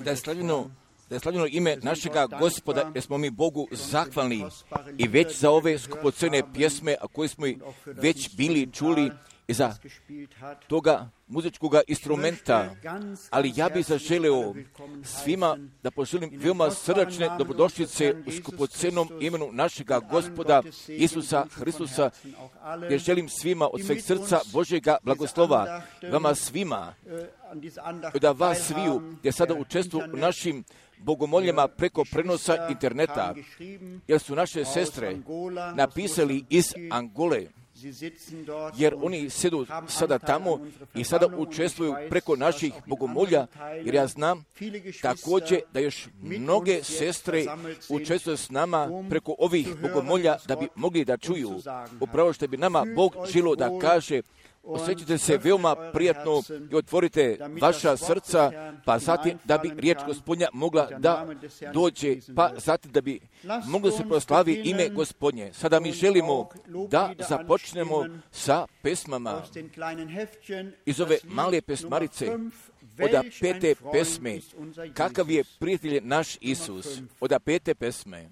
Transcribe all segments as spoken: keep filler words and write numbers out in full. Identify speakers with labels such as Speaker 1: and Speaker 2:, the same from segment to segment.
Speaker 1: Da je slavljeno Da je slavljeno ime našega Gospoda, jer smo mi Bogu zahvalni i već za ove skupocene pjesme, a koje smo već bili čuli i za toga muzičkog instrumenta. Ali ja bih zaželeo svima da poželim veoma srdačne dobrodošlice u skupocenom imenu našega Gospoda Isusa Hristusa, jer želim svima od sveg srca Božjega blagoslova, vama svima, da vas sviju, gdje sada učestvuju u našim bogomoljama preko prenosa interneta, jer su naše sestre napisali iz Angole, jer oni sedu sada tamo i sada učestvuju preko naših bogomolja, jer ja znam također da još mnoge sestre učestvuju s nama preko ovih bogomolja da bi mogli da čuju upravo što bi nama Bog želio da kaže. Osjećajte se veoma prijatno i otvorite vaša srca, pa zatim da bi riječ Gospodnja mogla da dođe, pa zatim da bi moglo se proslavi ime Gospodnje. Sada mi želimo da započnemo sa pesmama iz ove male pesmarice, od pete pesme, kakav je prijatelj naš Isus, od pete pesme.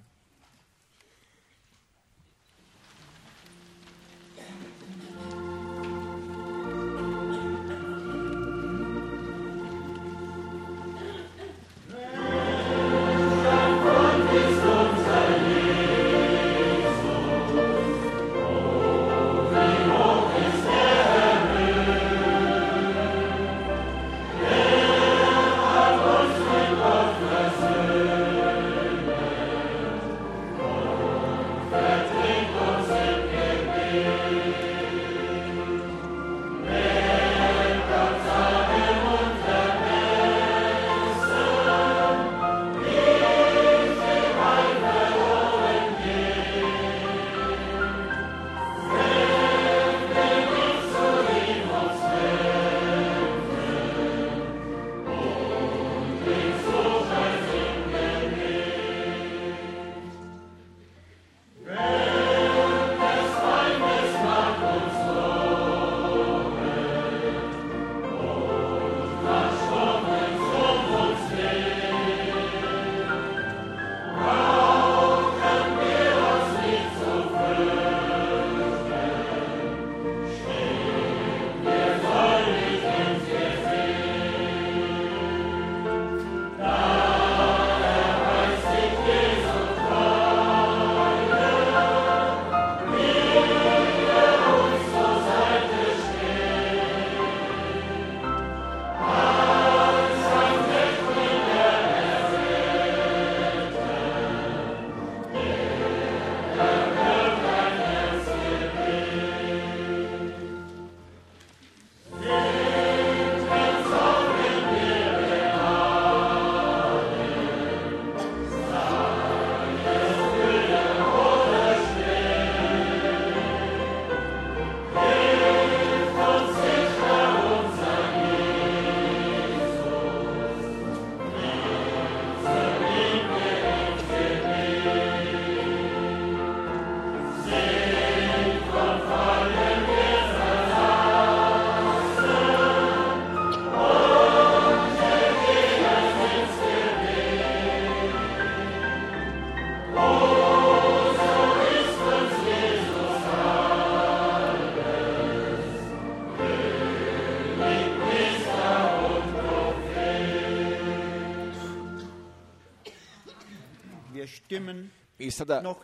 Speaker 1: I sada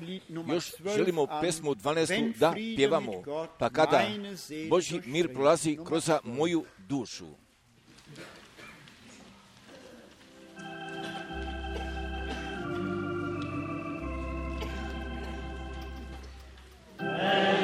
Speaker 1: još želimo pesmu dvanaestu da pjevamo, pa kada Božji mir prolazi kroz moju dušu.
Speaker 2: Amen.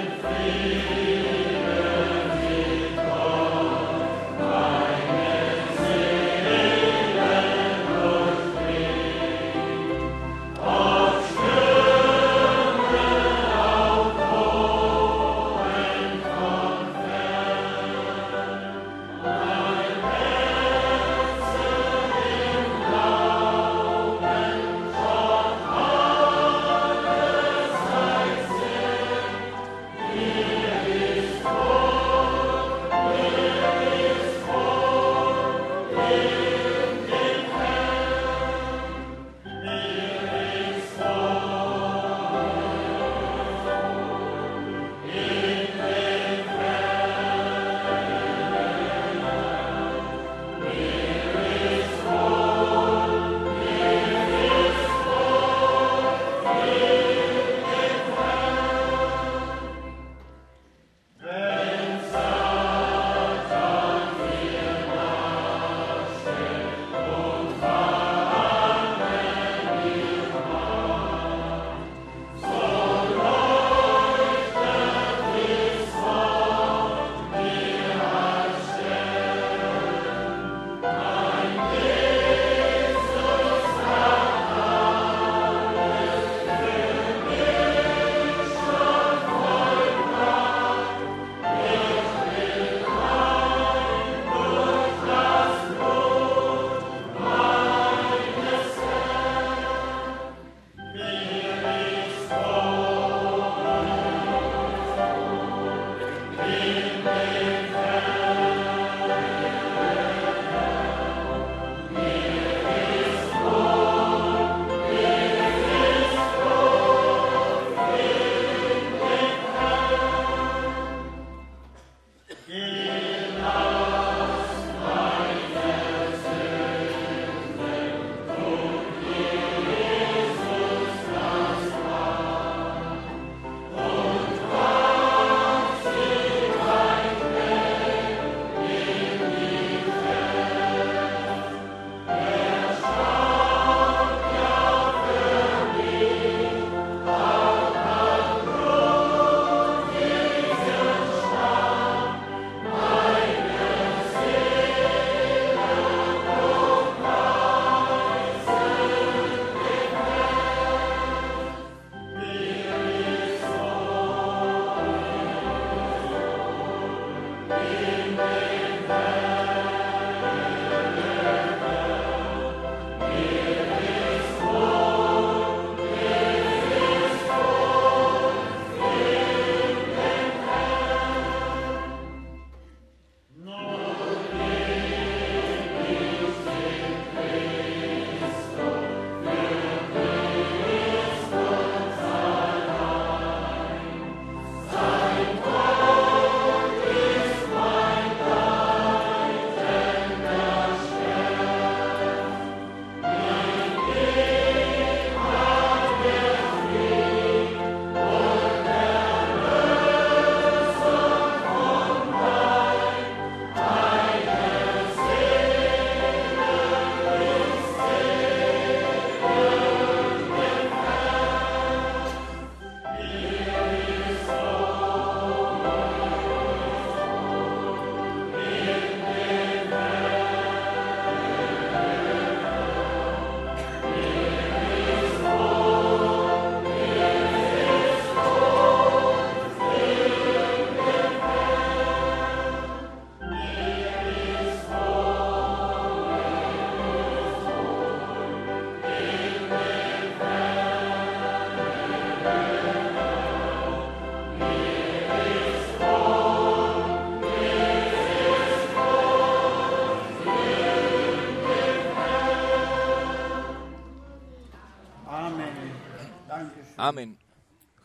Speaker 1: Amen.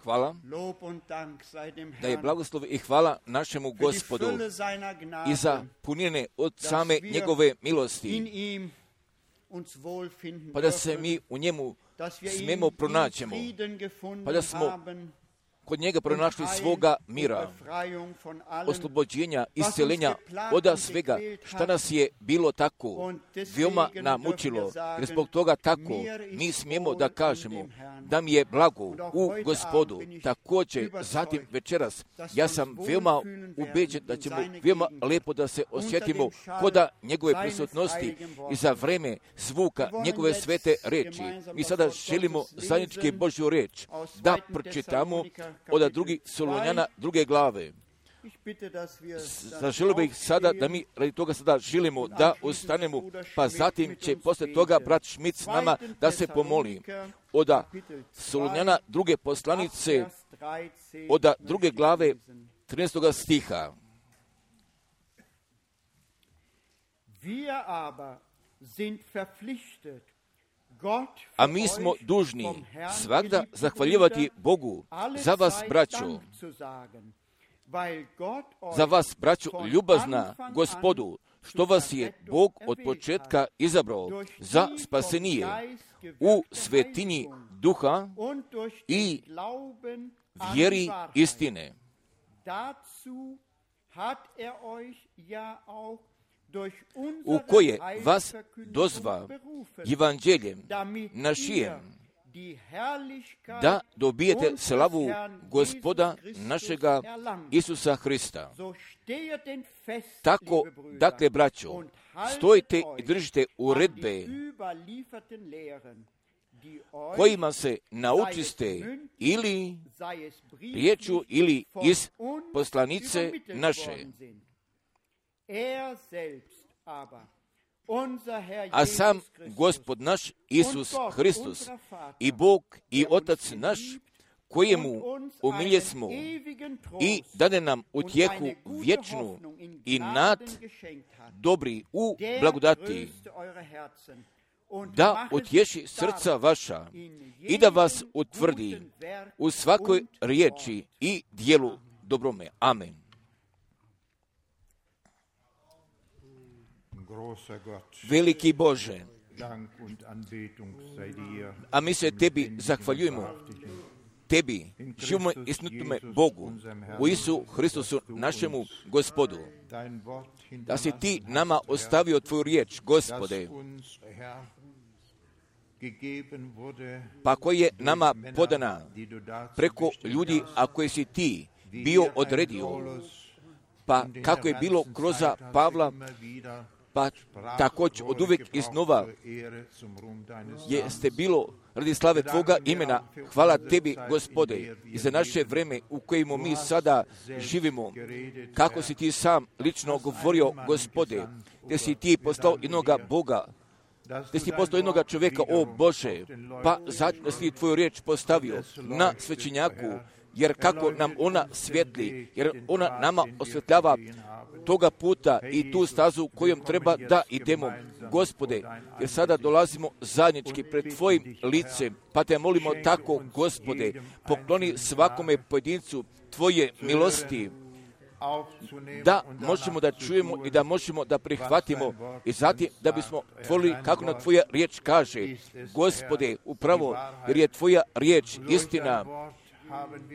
Speaker 1: Hvala. Da je blagoslov i hvala našemu Gospodu i za punine od same njegove milosti, pa da se mi u njemu smemo pronaćemo, pa da smo kod njega pronašli svoga mira, oslobođenja, isceljenja od svega šta nas je bilo tako veoma namučilo, jer zbog toga tako mi smijemo da kažemo da mi je blago u Gospodu. Također, zatim večeras, ja sam veoma ubeđen da ćemo veoma lepo da se osjetimo koda njegove prisutnosti i za vreme zvuka njegove svete reči. Mi sada želimo zajednički Božju reč da pročitamo od drugih Solunjana druge glave. Zaželio bih sada da mi radi toga sada želimo da ostanemo, pa zatim će posle toga brat Šmit s nama da se pomoli. Od Solunjana druge poslanice, od druge glave trinaestog stiha. A mi smo dužni svagda zahvaljivati Bogu za vas, braćo, za vas, braćo, ljubazna Gospodu, što vas je Bog od početka izabrao za spasenije u svetinji duha i vjeri istine, u koje vas dozva evanđeljem našijem, da dobijete slavu Gospoda našega Isusa Hrista. Tako, dakle, braćo, stojite i držite uredbe kojima se naučiste ili riječu ili iz poslanice naše. A sam Gospod naš Isus Hristos i Bog i Otac naš, kojemu umilje smo i dade nam utjehu vječnu i nad dobri u blagodati, da utješi srca vaša i da vas utvrdi u svakoj riječi i dijelu dobrome. Amen. Veliki Bože, a mi se Tebi zahvaljujemo, Tebi, živome i snutome Bogu, u Isu Hristusu, našemu Gospodu, da si Ti nama ostavio Tvoju riječ, Gospode, pa koja je nama podana preko ljudi, a koje si Ti bio odredio, pa kako je bilo kroz Pavla, pa također od uvijek iznova jeste bilo radi slave Tvoga imena. Hvala Tebi, Gospode, i za naše vreme u kojemu mi sada živimo, kako si Ti sam lično govorio, Gospode, gdje si Ti poslao jednoga Boga, gdje si poslao jednoga čovjeka, o Bože, pa zatim si Tvoju riječ postavio na svećenjaku, jer kako nam ona svjetli, jer ona nama osvjetljava toga puta i tu stazu kojom treba da idemo, Gospode, jer sada dolazimo zajednički pred Tvojim licem, pa Te molimo tako, Gospode, pokloni svakome pojedincu Tvoje milosti, da možemo da čujemo i da možemo da prihvatimo i zatim da bismo tvorili kako na Tvoja riječ kaže, Gospode, upravo, jer je Tvoja riječ istina,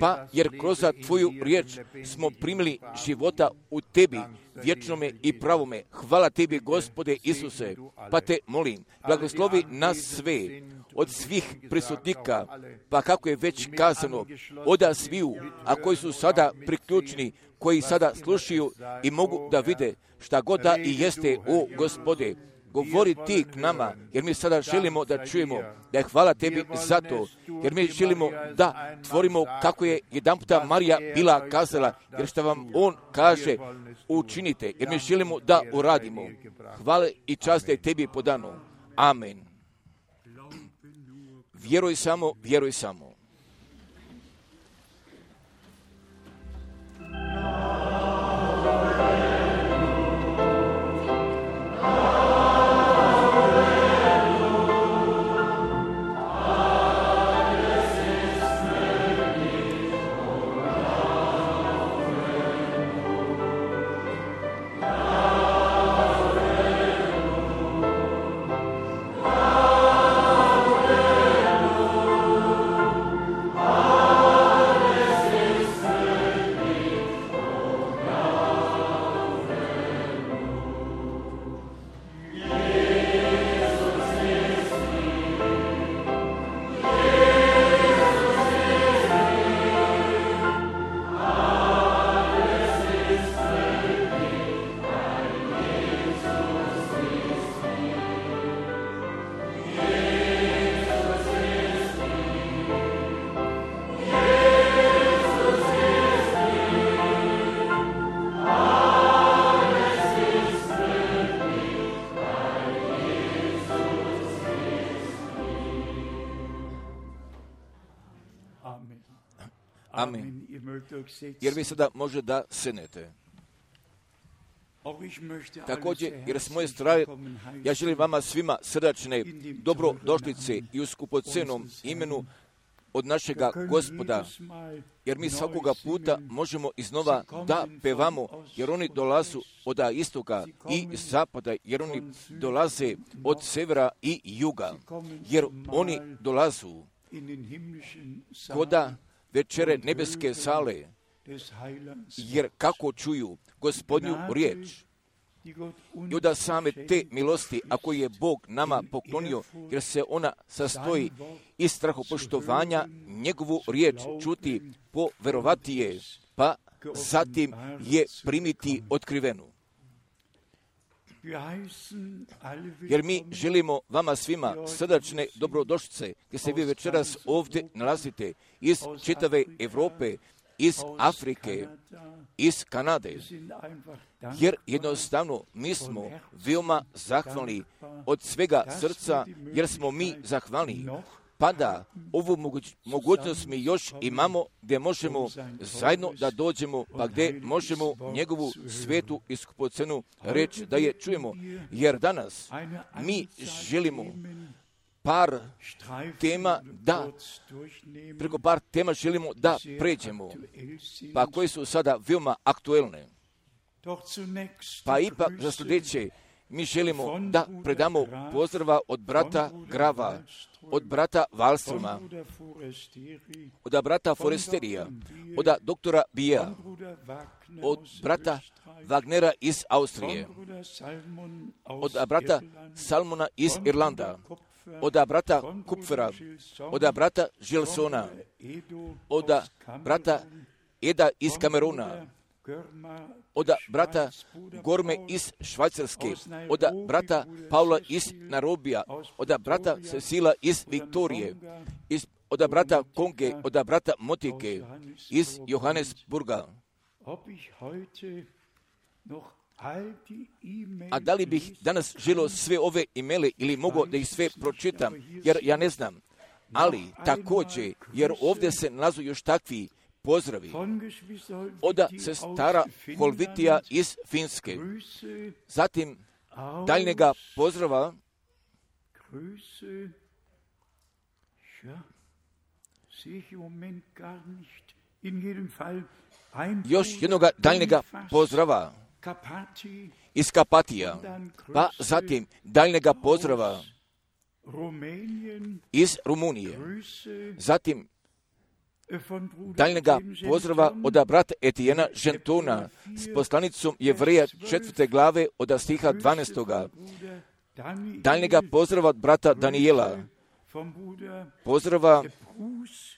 Speaker 1: pa jer kroz Tvoju riječ smo primili života u Tebi, vječnome i pravome. Hvala Tebi, Gospode Isuse, pa Te molim, blagoslovi nas sve, od svih prisutnika, pa kako je već kazano, od sviju, a koji su sada priključni, koji sada slušaju i mogu da vide šta god da i jeste, o Gospode, govori Ti k nama, jer mi sada želimo da čujemo da je hvala Tebi za to, jer mi želimo da tvorimo kako je jedan puta Marija bila kazala, jer što vam On kaže, učinite, jer mi želimo da uradimo. Hvala i čast je Tebi podano. Amen. Vjeruj samo, vjeruj samo. Amen. Jer vi sada može da sednete. Također, jer s moje strane, ja želim vama svima srdačne dobrodošlice i u skupocenom imenu od našega Gospoda, jer mi svakoga puta možemo iznova da pevamo, jer oni dolazu od istoka i zapada, jer oni dolaze od severa i juga, jer oni dolazu koda večere nebeske sale, jer kako čuju Gospodnju riječ. I od same te milosti, ako je Bog nama poklonio, jer se ona sastoji iz strahopoštovanja, njegovu riječ čuti, poverovati je, pa zatim je primiti otkrivenu. Jer mi želimo vama svima srdačne dobrodošlice, gdje se vi večeras ovdje nalazite iz čitave Europe, iz Afrike, iz Kanade, jer jednostavno mi smo veoma zahvalni od svega srca, jer smo mi zahvalni, pa da ovu moguć, mogućnost mi još imamo gdje možemo zajedno da dođemo, pa gdje možemo njegovu svetu i skupocenu reći da je čujemo, jer danas mi želimo par tema da, preko par tema želimo da pređemo, pa koje su sada veoma aktuelne. Pa ipak za sljedeće mi želimo da predamo pozdrava od brata Grava, od brata Wallstroma, od brata Foresterija, od doktora Bija, od brata Wagnera iz Austrije, od brata Salmona iz Irlanda, od brata Kupfera, od brata Gilsona, od brata Eda iz Kameruna, od brata Gorme iz Švajcarske, od brata Paula iz Narobija, od brata Cecila iz Viktorije, iz, od brata Konge, od brata Motike iz Johannesburga. A da li bih danas želio sve ove imele ili mogu da ih sve pročitam, jer ja ne znam. Ali također, jer ovdje se nalazu još takvi pozdravi od sestara Holvitija iz Finske. Zatim daljnjega pozdrava još jednog daljnjega pozdrava iz Kapatija, pa zatim daljnjega pozdrava iz Rumunije, zatim daljnjega pozdrava od brata Etijena Žentona s poslanicom Jevreja četvrte glave od stiha dvanaestoga, daljnjega pozdrava od brata Danijela, pozdrava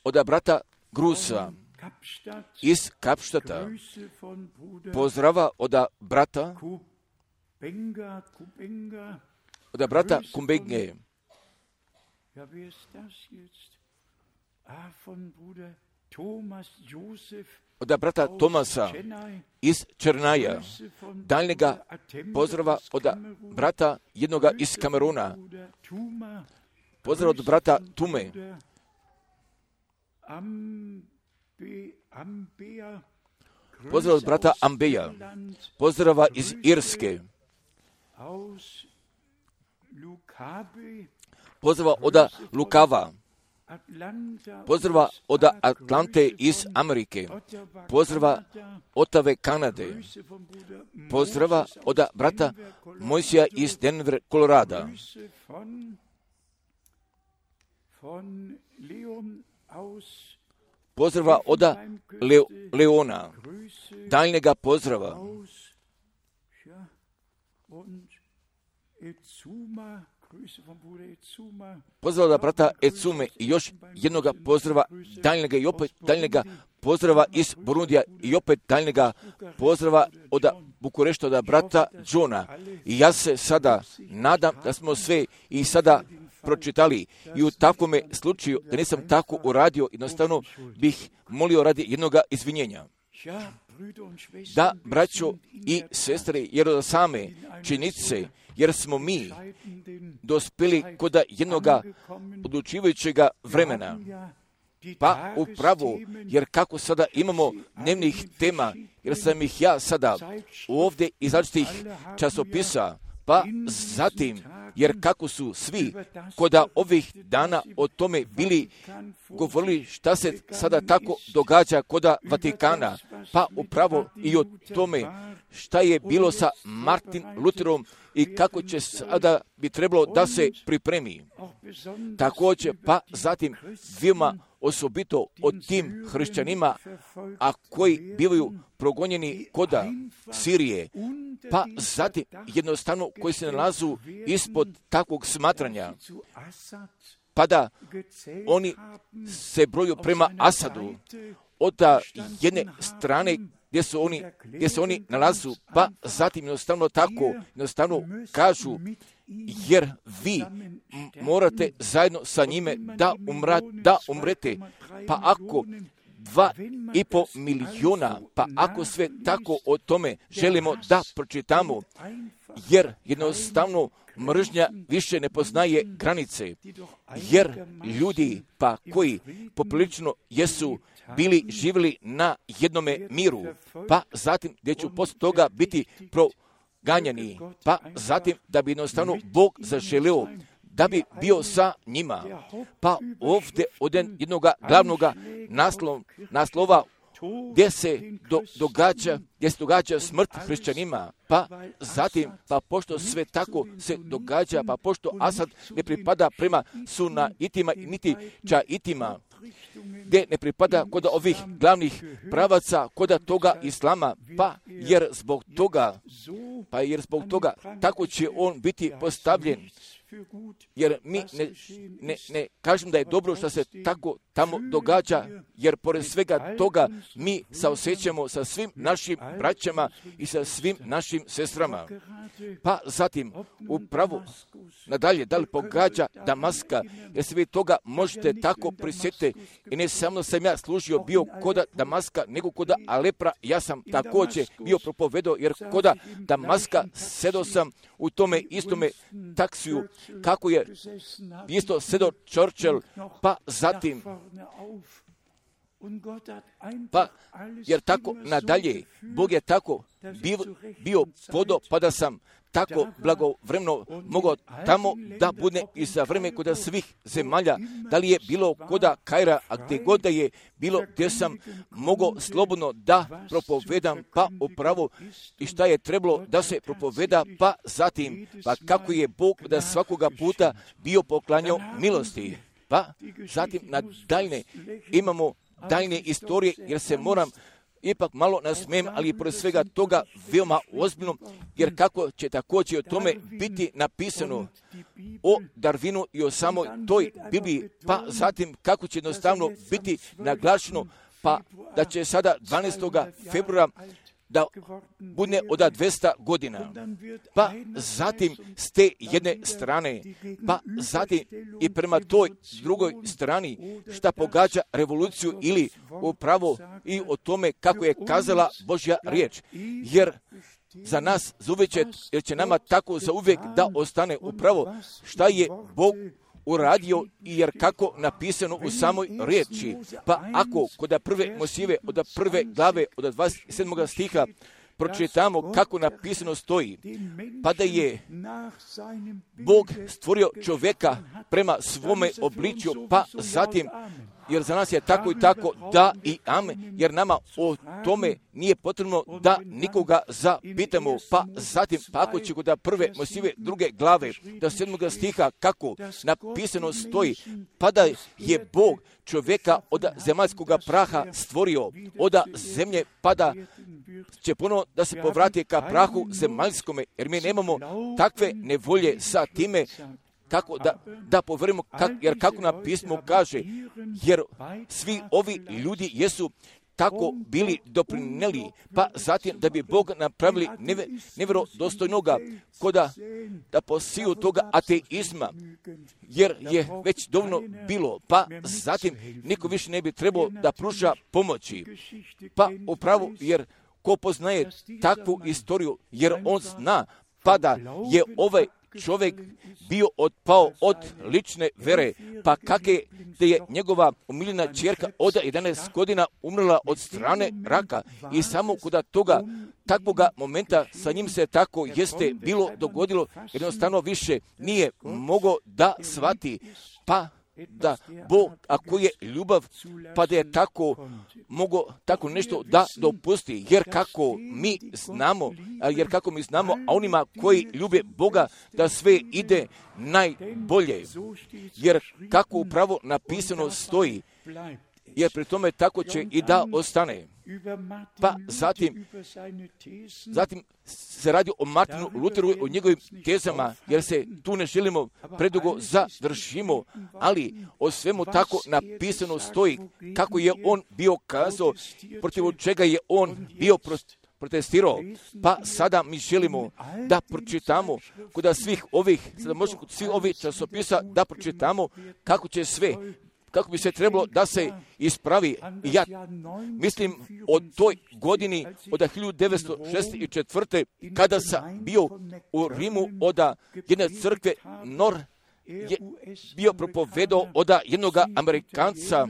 Speaker 1: od brata Grusa iz Kapštata, pozdrava od brata od brata Kumbenge, od brata Tomasa iz Černaja, daljnjega pozdrava od brata jednoga iz Kameruna, pozdrav od brata Tume, pozdrav od brata Ambeja, pozdrava iz Irske, pozdrava od Lukava, pozdrava od Atlante iz Amerike, pozdrava Otave Kanade, pozdrava od brata Mojsija iz Denver, Kolorada, pozdrava od Leo, Leona, daljnjega pozdrava pozdrava od brata Ecume i još jednog pozdrava daljnjega i opet daljnjega pozdrava iz Burundija i opet daljnjega pozdrava od Bukurešta od brata Johna. I ja se sada nadam da smo sve i sada pročitali i u takvome slučaju da nisam tako uradio, jednostavno bih molio radi jednog izvinjenja. Da, braćo i sestre, jer od same činjenice, jer smo mi dospjeli kod jednog odlučivajućeg vremena, Pa upravo, jer kako sada imamo dnevnih tema, jer sam ih ja sada ovdje iz različitih časopisa, pa zatim, jer kako su svi koda ovih dana o tome bili govorili šta se sada tako događa koda Vatikana, pa upravo i o tome šta je bilo sa Martin Lutherom i kako će sada bi trebalo da se pripremi. Također, pa zatim veoma osobito o tim hrišćanima, a koji bivaju progonjeni koda Sirije, pa zatim jednostavno koji se nalazu ispod takvog smatranja, pa da oni se broju prema Asadu od jedne strane gdje su oni, gdje se oni nalazu, pa zatim jednostavno tako, jednostavno kažu, jer vi morate zajedno sa njime da, umra, da umrete. Pa ako dva i po milijuna, pa ako sve tako o tome želimo da pročitamo, jer jednostavno mržnja više ne poznaje granice, jer ljudi pa koji poprilično jesu bili živjeli na jednome miru, pa zatim gdje ću poslije toga biti proganjani, pa zatim da bi jednostavno Bog zaželio da bi bio sa njima. Pa ovdje od jednog glavnog naslov, naslova gdje se do, događa, gdje se događa smrt hrišćanima, pa zatim, pa pošto sve tako se događa, pa pošto Asad ne pripada prema sunaitima niti čaitima, gdje ne pripada kod ovih glavnih pravaca, kod toga islama, pa jer zbog toga, pa jer zbog toga tako će on biti postavljen. Jer mi ne, ne, ne kažem da je dobro što se tako tamo događa, jer pored svega toga mi saosjećamo sa svim našim braćama i sa svim našim sestrama. Pa zatim upravo nadalje, da li pogađa Damaska, jer se vi toga možete tako prisjetiti, i ne samo sam ja služio bio koda Damaska, nego koda Alepra, ja sam također bio propovedao, jer koda Damaska sedo sam u tome istome taksiju, kako je isto sedo Churchill, pa zatim, pa jer tako nadalje, Bog je tako bio, bio podo, pa da sam tako blagovremeno mogao tamo da bude i za vreme koda svih zemalja, da li je bilo koda Kaira, a gdje god da je bilo, gdje sam mogao slobodno da propovedam, pa upravo i šta je trebalo da se propoveda, pa zatim, pa kako je Bog da svakoga puta bio poklanjao milosti. Pa zatim na daljne imamo daljne istorije, jer se moram ipak malo nasmijem, ali pored svega toga veoma ozbiljno, jer kako će također o tome biti napisano o Darwinu i o samoj toj Bibliji, pa zatim kako će jednostavno biti naglašeno, pa da će sada dvanaestog februara da bude od dvesta godina, pa zatim s te jedne strane, pa zatim i prema toj drugoj strani šta pogađa revoluciju ili upravo i o tome kako je kazala Božja riječ, jer za nas zauvijek, jer će nama tako zauvijek da ostane upravo šta je Bog uradio, jer kako napisano u samoj riječi. Pa ako kod prve Mojsijeve, od prve glave, od dvadeset sedmog stiha, pročitamo kako napisano stoji, pa da je Bog stvorio čovjeka prema svome obličju, pa zatim, jer za nas je tako i tako da i amen, jer nama o tome nije potrebno da nikoga zapitamo, pa zatim, pa ako će kod prve Mojsijeve druge glave, do sedmoga stiha, kako napisano stoji, pa da je Bog čovjeka od zemaljskog praha stvorio, od zemlje, pa da će ponovo da se povrati ka prahu zemaljskome, jer mi nemamo takve nevolje sa time, kako da, da poverimo, kak, jer kako nam pismo kaže, jer svi ovi ljudi jesu tako bili doprinijeli, pa zatim da bi Bog napravili neve, nevjerodostojnoga koda da posiju toga ateizma, jer je već dovoljno bilo, pa zatim niko više ne bi trebao da pruža pomoći, pa upravo jer ko poznaje takvu istoriju, jer on zna, pa da je ovaj čovjek bio otpao od lične vere, pa kakve da je njegova omiljena ćerka od jedanaest godina umrla od strane raka i samo kod toga takvoga momenta sa njim se tako jeste bilo dogodilo, jednostavno više nije mogao da shvati, pa da Bog, ako je ljubav, pa da je tako mogo tako nešto da dopusti, jer kako mi znamo, jer kako mi znamo, a onima koji ljube Boga, da sve ide najbolje, jer kako upravo napisano stoji, jer pri tome tako će i da ostane. Pa zatim, zatim se radi o Martinu Luteru, o njegovim tezama, jer se tu ne želimo predugo završimo, ali o svemu tako napisano stoji kako je on bio kazao, protiv čega je on bio protestirao. Pa sada mi želimo da pročitamo kod svih ovih, sada možemo kod svih ovih časopisa da pročitamo kako će sve, kako bi se trebalo da se ispravi. I ja mislim o toj godini od hiljadu devetsto šezdeset četvrte kada sam bio u Rimu od jedne crkve Nor je bio propovedao od jednog Amerikanca,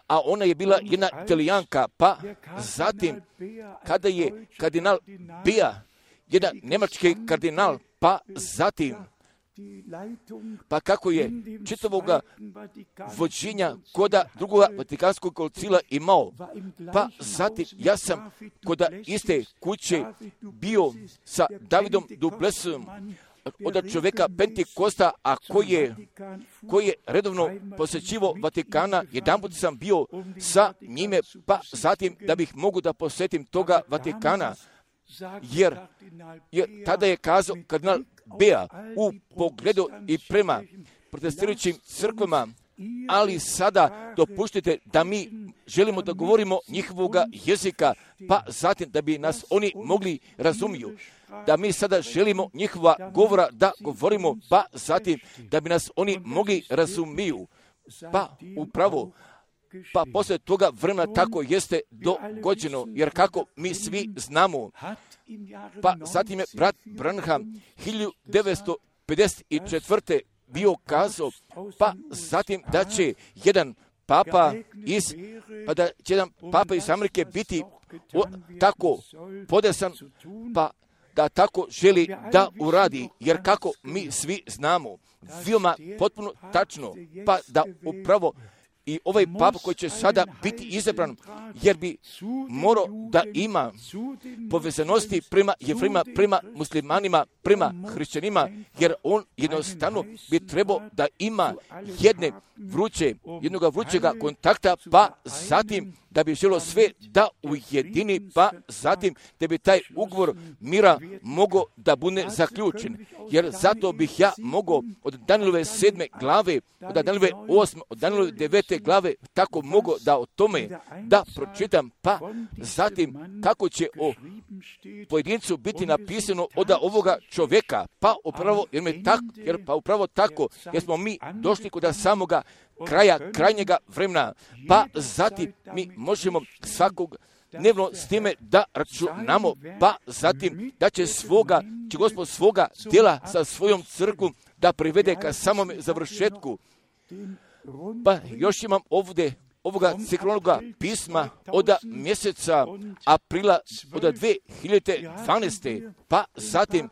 Speaker 1: a ona je bila jedna Italijanka, pa zatim kada je kardinal Bea, jedan nemački kardinal, pa zatim pa kako je čitavoga vođenja koda drugoga Vatikanskog koncila imao, pa zatim ja sam koda iste kuće bio sa Davidom Dublesom, od čovjeka Pentekosta, a koji je, koji je redovno posjećivo Vatikana, jedanput sam bio sa njime, pa zatim da bih mogu da posjetim toga Vatikana, jer, jer tada je kazao kardinal Bea u pogledu i prema protestirajućim crkvama, ali sada dopuštite da mi želimo da govorimo njihovoga jezika, pa zatim da bi nas oni mogli razumiju, da mi sada želimo njihova govora da govorimo, pa zatim da bi nas oni mogli razumiju, pa upravo pa poslije toga vremena tako jeste dogođeno, jer kako mi svi znamo, pa zatim je brat Branham hiljadu devetsto pedeset četvrte bio kazao, pa zatim da će jedan papa iz, pa da će jedan papa iz Amerike biti o, tako podesan, pa da tako želi da uradi, jer kako mi svi znamo, veoma potpuno tačno, pa da upravo i ovaj papa koji će sada biti izabran, jer bi morao da ima povezanosti prema Jevrejima, prema muslimanima, prema hrišćanima, jer on jednostavno bi trebao da ima jedne vruće, jednoga vrućega kontakta, pa zatim da bi želo sve da ujedini, pa zatim da bi taj ugovor mira mogao da bude zaključen. Jer zato bih ja mogao od Danilove sedme glave, od Danilove osme, od Danilove devete glave, tako mogao da o tome da pročitam, pa zatim kako će o pojedincu biti napisano od ovoga čovjeka, pa upravo, jer, me tak, jer pa upravo tako, jer smo mi došli kod samoga kraja, krajnjega vremena, pa zatim mi možemo svakog dnevno s time da računamo, pa zatim da će svoga, će Gospod svoga djela sa svojom crkvom da privede ka samom završetku. Pa još imam ovdje ovoga ciklonoga pisma od mjeseca aprila od dvije hiljade dvanaeste. Pa zatim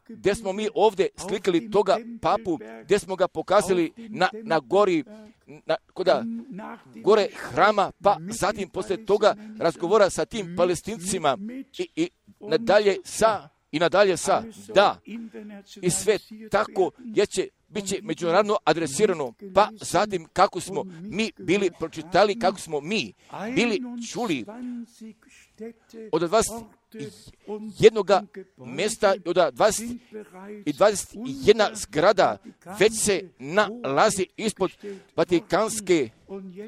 Speaker 1: gdje smo mi ovdje slikali toga papu, gdje smo ga pokazali na, na gori, na, koda gore hrama, pa zatim poslije toga razgovora sa tim Palestincima i, i nadalje sa, i nadalje sa, da, i sve tako je će bit će međunarodno adresirano, pa zatim kako smo mi bili pročitali, kako smo mi bili čuli od dvadeset jednoga mjesta, od dvadeset i dvadeset jedna zgrada već se nalazi ispod Vatikanske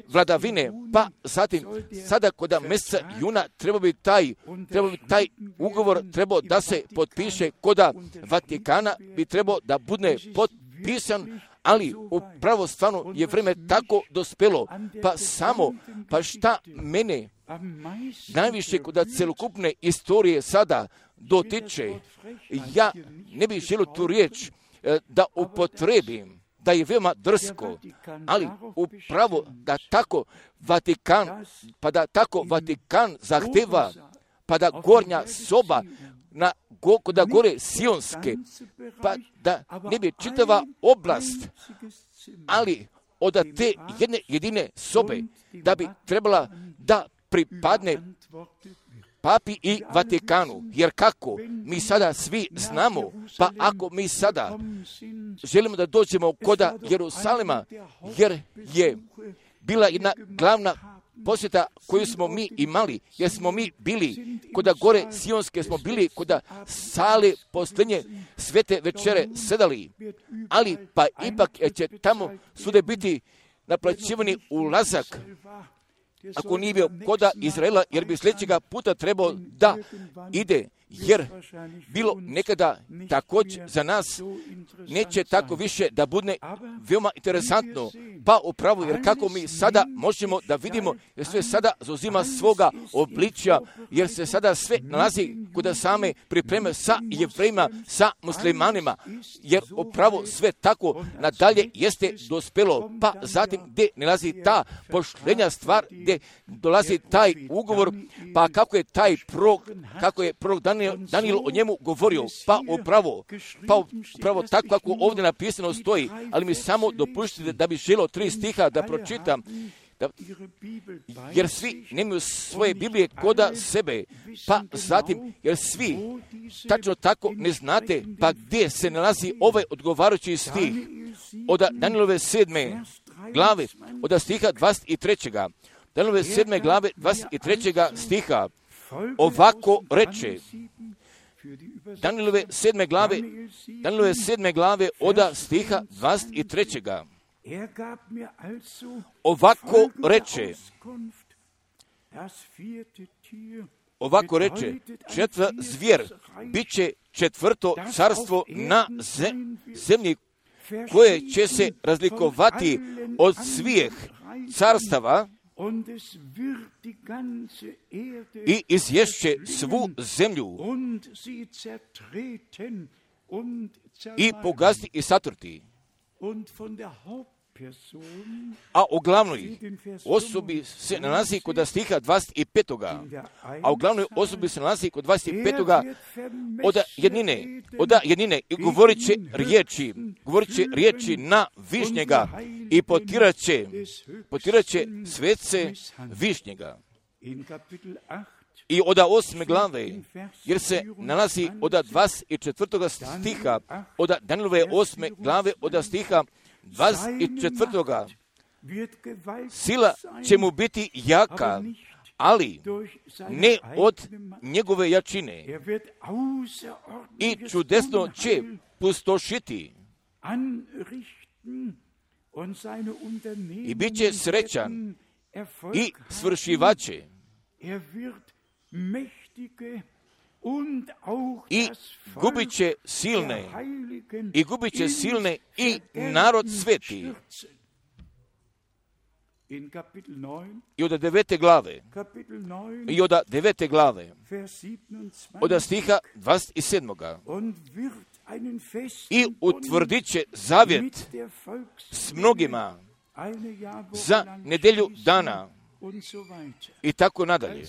Speaker 1: vladavine, pa zatim sada kod mjeseca juna treba bi taj, treba bi taj ugovor trebao da se potpiše kod Vatikana, bi trebao da bude potpisan, ali upravo stvarno je vrijeme tako dospelo, pa samo, pa šta mene najviše kod celokupne istorije sada dotiče, ja ne bih želio tu riječ da upotrebim, da je veoma drsko, ali upravo da tako Vatikan, pa da tako Vatikan zahteva, pa da gornja soba na da gore sionske, pa da ne bi čitava oblast, ali od te jedne jedine sobe, da bi trebala da pripadne Papi i Vatikanu. Jer kako mi sada svi znamo, pa ako mi sada želimo da dođemo koda Jerusalima, jer je bila jedna glavna posjeta koju smo mi imali, jer smo mi bili koda gore sionske, smo bili koda sale posljednje svete večere sedali, ali pa ipak će tamo svude biti naplaćivani ulazak, ako nije bio koda Izraela, jer bi sljedećega puta trebao da ide, jer bilo nekada također za nas neće tako više da bude veoma interesantno, pa upravo, jer kako mi sada možemo da vidimo, jer sve sada zauzima svoga obličja, jer se sada sve nalazi kod same pripreme sa Jevrejima, sa muslimanima, jer upravo sve tako nadalje jeste dospelo, pa zatim gdje nalazi ta poštenja stvar, gdje dolazi taj ugovor, pa kako je taj prorok, kako je prorok Daniel, Daniel o njemu govorio, pa upravo, pa upravo tako kako ovdje napisano stoji, ali mi samo dopuštite da bi želio tri stiha da pročitam, da, jer svi nemaju svoje Biblije koda sebe, pa zatim, jer svi tačno tako ne znate, pa gdje se nalazi ovaj odgovarajući stih od Danielove sedme glave, od stiha dvadeset trećega Danielove sedme glave dvadeset trećega stiha, ovako reče, Danielove sedme glave, Danielove sedme glave od stiha dvadeset trećega Ovako reče, ovako reče, četvrta zvjer, bit će četvrto carstvo na zemlji, koje će se razlikovati od svih carstava i izješće svu zemlju i pogaziti i satrti. A u glavnoj osobi se nalazi kod stiha dvadeset petoga A u glavnoj osobi se nalazi kod dvadeset petoga od jednine, od jednine i govorit će riječi, govorit će riječi na višnjega i potirat će, potirat će svece višnjega. I od osme glave, jer se nalazi od dvadeset četvrtoga stiha, od Danielove osme glave, od stiha dvadeset četvrtoga Sila će mu biti jaka, ali ne od njegove jačine. I čudesno će pustošiti. I bit će srećan i svršivaće. I gubit će silne, i gubit će silne i narod sveti. I od devete glave, i od devete glave, od stiha dvadeset sedmoga I utvrdit će zavjet s mnogima za nedelju dana i tako nadalje.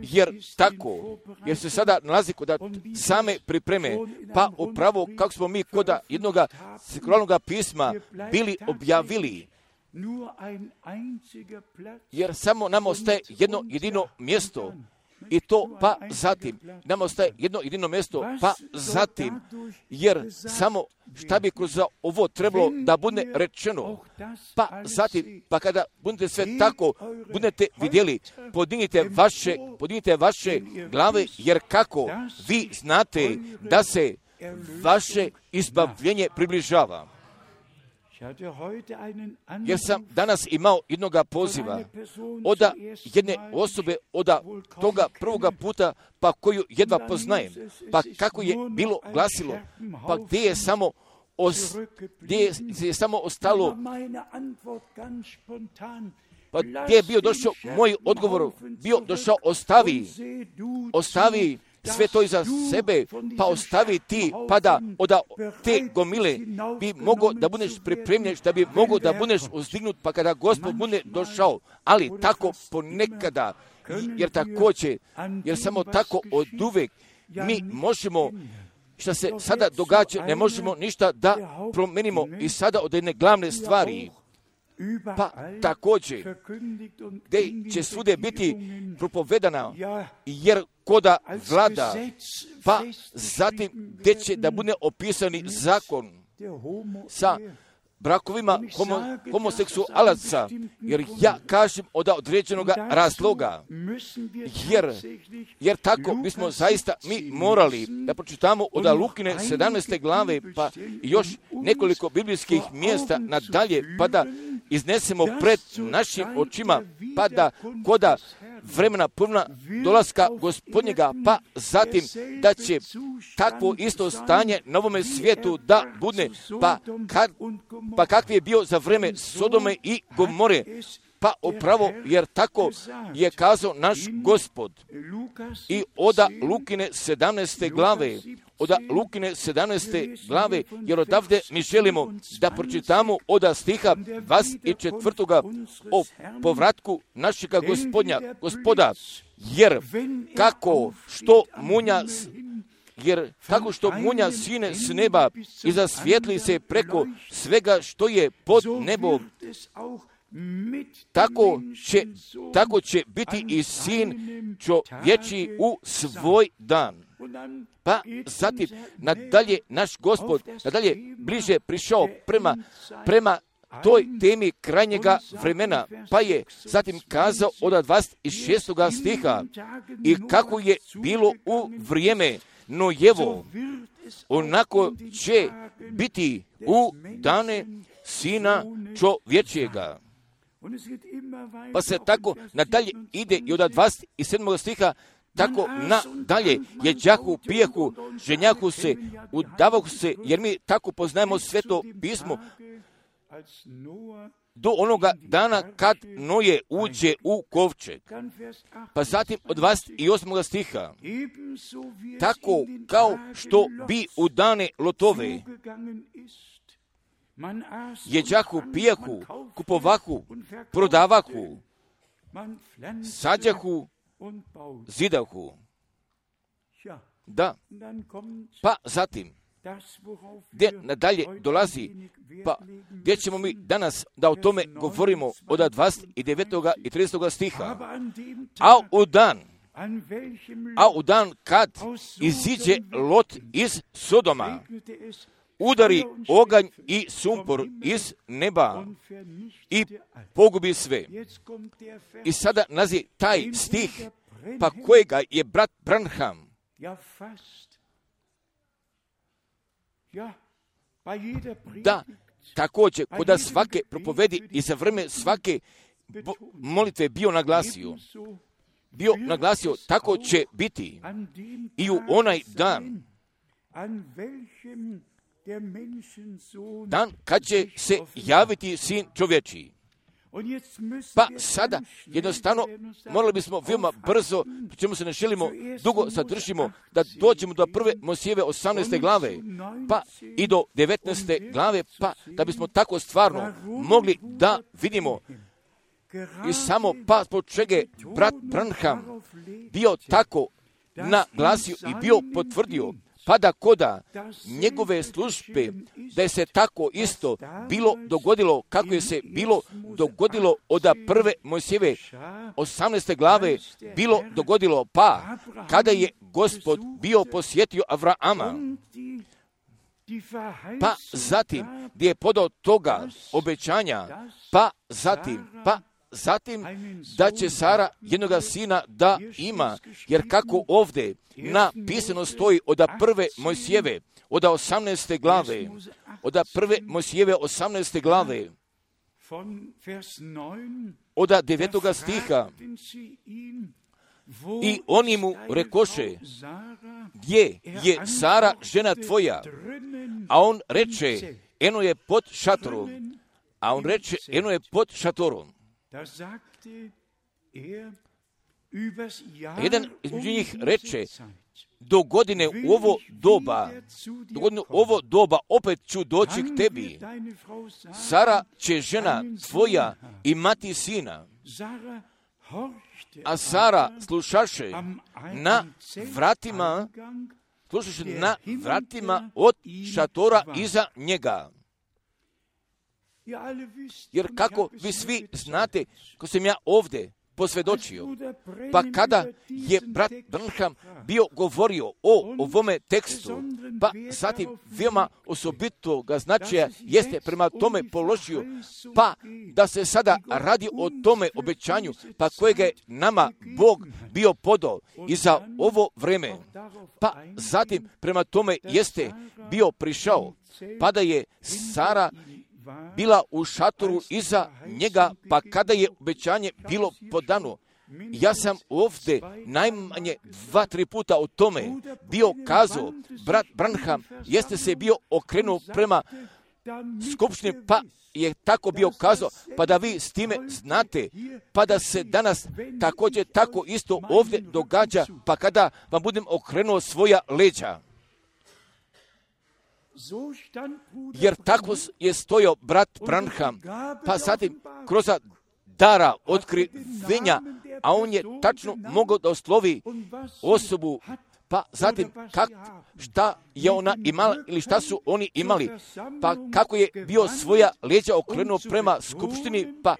Speaker 1: Jer tako, jer se sada nalazi kod same pripreme, pa upravo kako smo mi kod jednog sekularnog pisma bili objavili, jer samo nam ostaje jedno jedino mjesto, i to pa zatim, nam ostaje jedno jedino mjesto, pa zatim, jer samo šta bi kroz ovo trebalo da bude rečeno, pa zatim, pa kada budete sve tako, budete vidjeli, podignite vaše, podignite vaše glave, jer kako vi znate da se vaše izbavljenje približava. Jer sam danas imao jednoga poziva od jedne osobe, od toga prvoga puta, pa koju jedva poznajem, pa kako je bilo glasilo, pa gdje je samo os, gdje je, gdje je samo ostalo, pa gdje je bio došao moj odgovor, bio došao ostavi, ostavi sve to iza sebe, pa ostavi ti, pa da od te gomile bi mogo da budeš pripremljen, da bi mogo da budeš uzdignut, pa kada Gospod bude došao, ali tako ponekada, jer također, jer samo tako od uvek mi možemo, što se sada događa, ne možemo ništa da promenimo i sada od jedne glavne stvari, pa također, gdje će svude biti propovedana, jer koda vlada, pa zatim gdje će da bude opisani zakon sa brakovima homo, homoseksualaca, jer ja kažem od određenog razloga, jer, jer tako bismo zaista mi morali da pročitamo od Lukine sedamnaeste glave, pa još nekoliko biblijskih mjesta nadalje, pa da iznesemo pred našim očima, pa da koda vremena puna dolaska Gospodnjega, pa zatim da će takvo isto stanje na ovome svijetu da bude, pa, kad, pa kakvi je bio za vreme Sodome i Gomore, pa upravo jer tako je kazao naš Gospod. I oda Lukine sedamnaeste glave, oda Lukine sedamnaeste glave, jer odavde mi želimo da pročitamo oda stiha dvadeset četvrtoga o povratku našega Gospodnja, Gospoda, jer kako što munja jer tako što munja sine s neba i zasvijetli se preko svega što je pod nebom, tako će, tako će biti i sin čovječji u svoj dan. Pa zatim nadalje naš Gospod, nadalje bliže prišao prema, prema toj temi krajnjega vremena, pa je zatim kazao od dvadeset šestoga stiha i kako je bilo u vrijeme Nojevo, onako će biti u dane sina čovječjega. Pa se tako nadalje ide i od dvadeset sedmog stiha tako nadalje, jeđahu, pijehu, ženjahu se, udavahu se, jer mi tako poznajemo Sveto pismo, do onoga dana kad Noje uđe u kovčeg. Pa zatim od dvadeset osmog stiha, tako kao što bi u dane Lotove, jeđahu, pijehu, kupovahu, prodavahu, sađahu, zidahu. Da, pa zatim, gdje nadalje dolazi, pa gdje ćemo mi danas da o tome govorimo od dvadeset devetog i tridesetog stiha. A u dan, a u dan kad iziđe Lot iz Sodoma, udari oganj i sumpor iz neba i pogubi sve. I sada nazi taj stih, pa kojega je brat Branham da također kod svake propovedi i za vreme svake molitve bio naglasio, bio naglasio, tako će biti i u onaj dan, dan kad će se javiti sin čovječiji. Pa sada jednostavno morali bismo veoma brzo, pri čemu se ne želimo dugo zadržimo, da dođemo do prve Mojsijeve osamnaeste glave, pa i do devetnaeste glave, pa da bismo tako stvarno mogli da vidimo i samo pa zbog čega je brat Branham bio tako naglasio i bio potvrdio, pa da koda njegove službe, da je se tako isto bilo dogodilo, kako je se bilo dogodilo od prve Mojsijeve osamnaeste glave, bilo dogodilo, pa kada je Gospod bio posjetio Avrama, pa zatim gdje je podao toga obećanja, pa zatim, pa zatim da će Sara jednoga sina da ima, jer kako ovdje napisano stoji od prve Mojsijeve, od osamnaeste glave, od prve Mojsijeve osamnaeste glave, od devetoga stiha, i oni mu rekoše, gdje je Sara žena tvoja? A on reče, eno je pod šatorom. A on reče, eno je pod šatorom. Jedan između njih reče, do godine u ovo doba, do godine u ovo doba opet ću doći k tebi. Sara će žena tvoja imati sina. A Sara slušaše na vratima, slušaše na vratima od šatora iza njega. Jer kako vi svi znate, ko sam ja ovdje posvjedočio, pa kada je brat Branham bio govorio o ovome tekstu, pa zatim veoma osobitoga značaja jeste prema tome položio, pa da se sada radi o tome obećanju, pa kojega je nama Bog bio podao i za ovo vreme, pa zatim prema tome jeste bio prišao, pa da je Sara bila u šatoru iza njega, pa kada je obećanje bilo podano. Ja sam ovdje najmanje dva, tri puta o tome bio kazao. Brat Branham jeste se bio okrenuo prema skupštini, pa je tako bio kazao, pa da vi s time znate, pa da se danas također tako isto ovdje događa, pa kada vam budem okrenuo svoja leđa. Jer tako je stojao brat Branham, pa zatim kroz dara otkrivenja, a on je tačno mogao da oslovi osobu, pa zatim kak, šta je ona imala ili šta su oni imali, pa kako je bio svoja leđa okrenuo prema skupštini, pa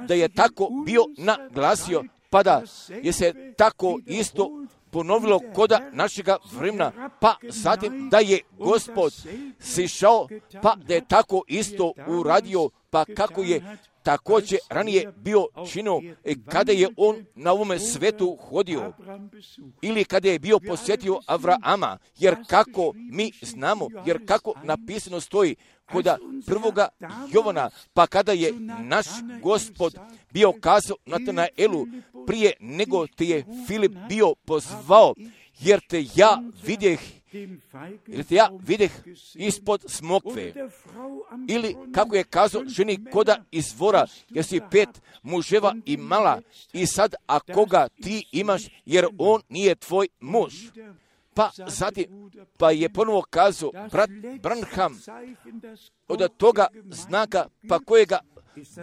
Speaker 1: da je tako bio naglasio, pa da je se tako isto ponovilo koda našega vremena, pa zatim da je Gospod sišao, pa da je tako isto uradio, pa kako je također ranije bio činio kada je on na ovome svetu hodio ili kada je bio posjetio Avrama, jer kako mi znamo, jer kako napisano stoji koda prvoga Jovana, pa kada je naš Gospod bio kazao Natanaelu prije nego te je Filip bio pozvao, jer te ja vidjeh Jer te ja videh ispod smokve. Ili kako je kazao ženi koda izvora, jer si pet muževa imala i sad a koga ti imaš, jer on nije tvoj muž. Pa zatim, pa je ponovo kazao brat Branham od toga znaka, pa kojega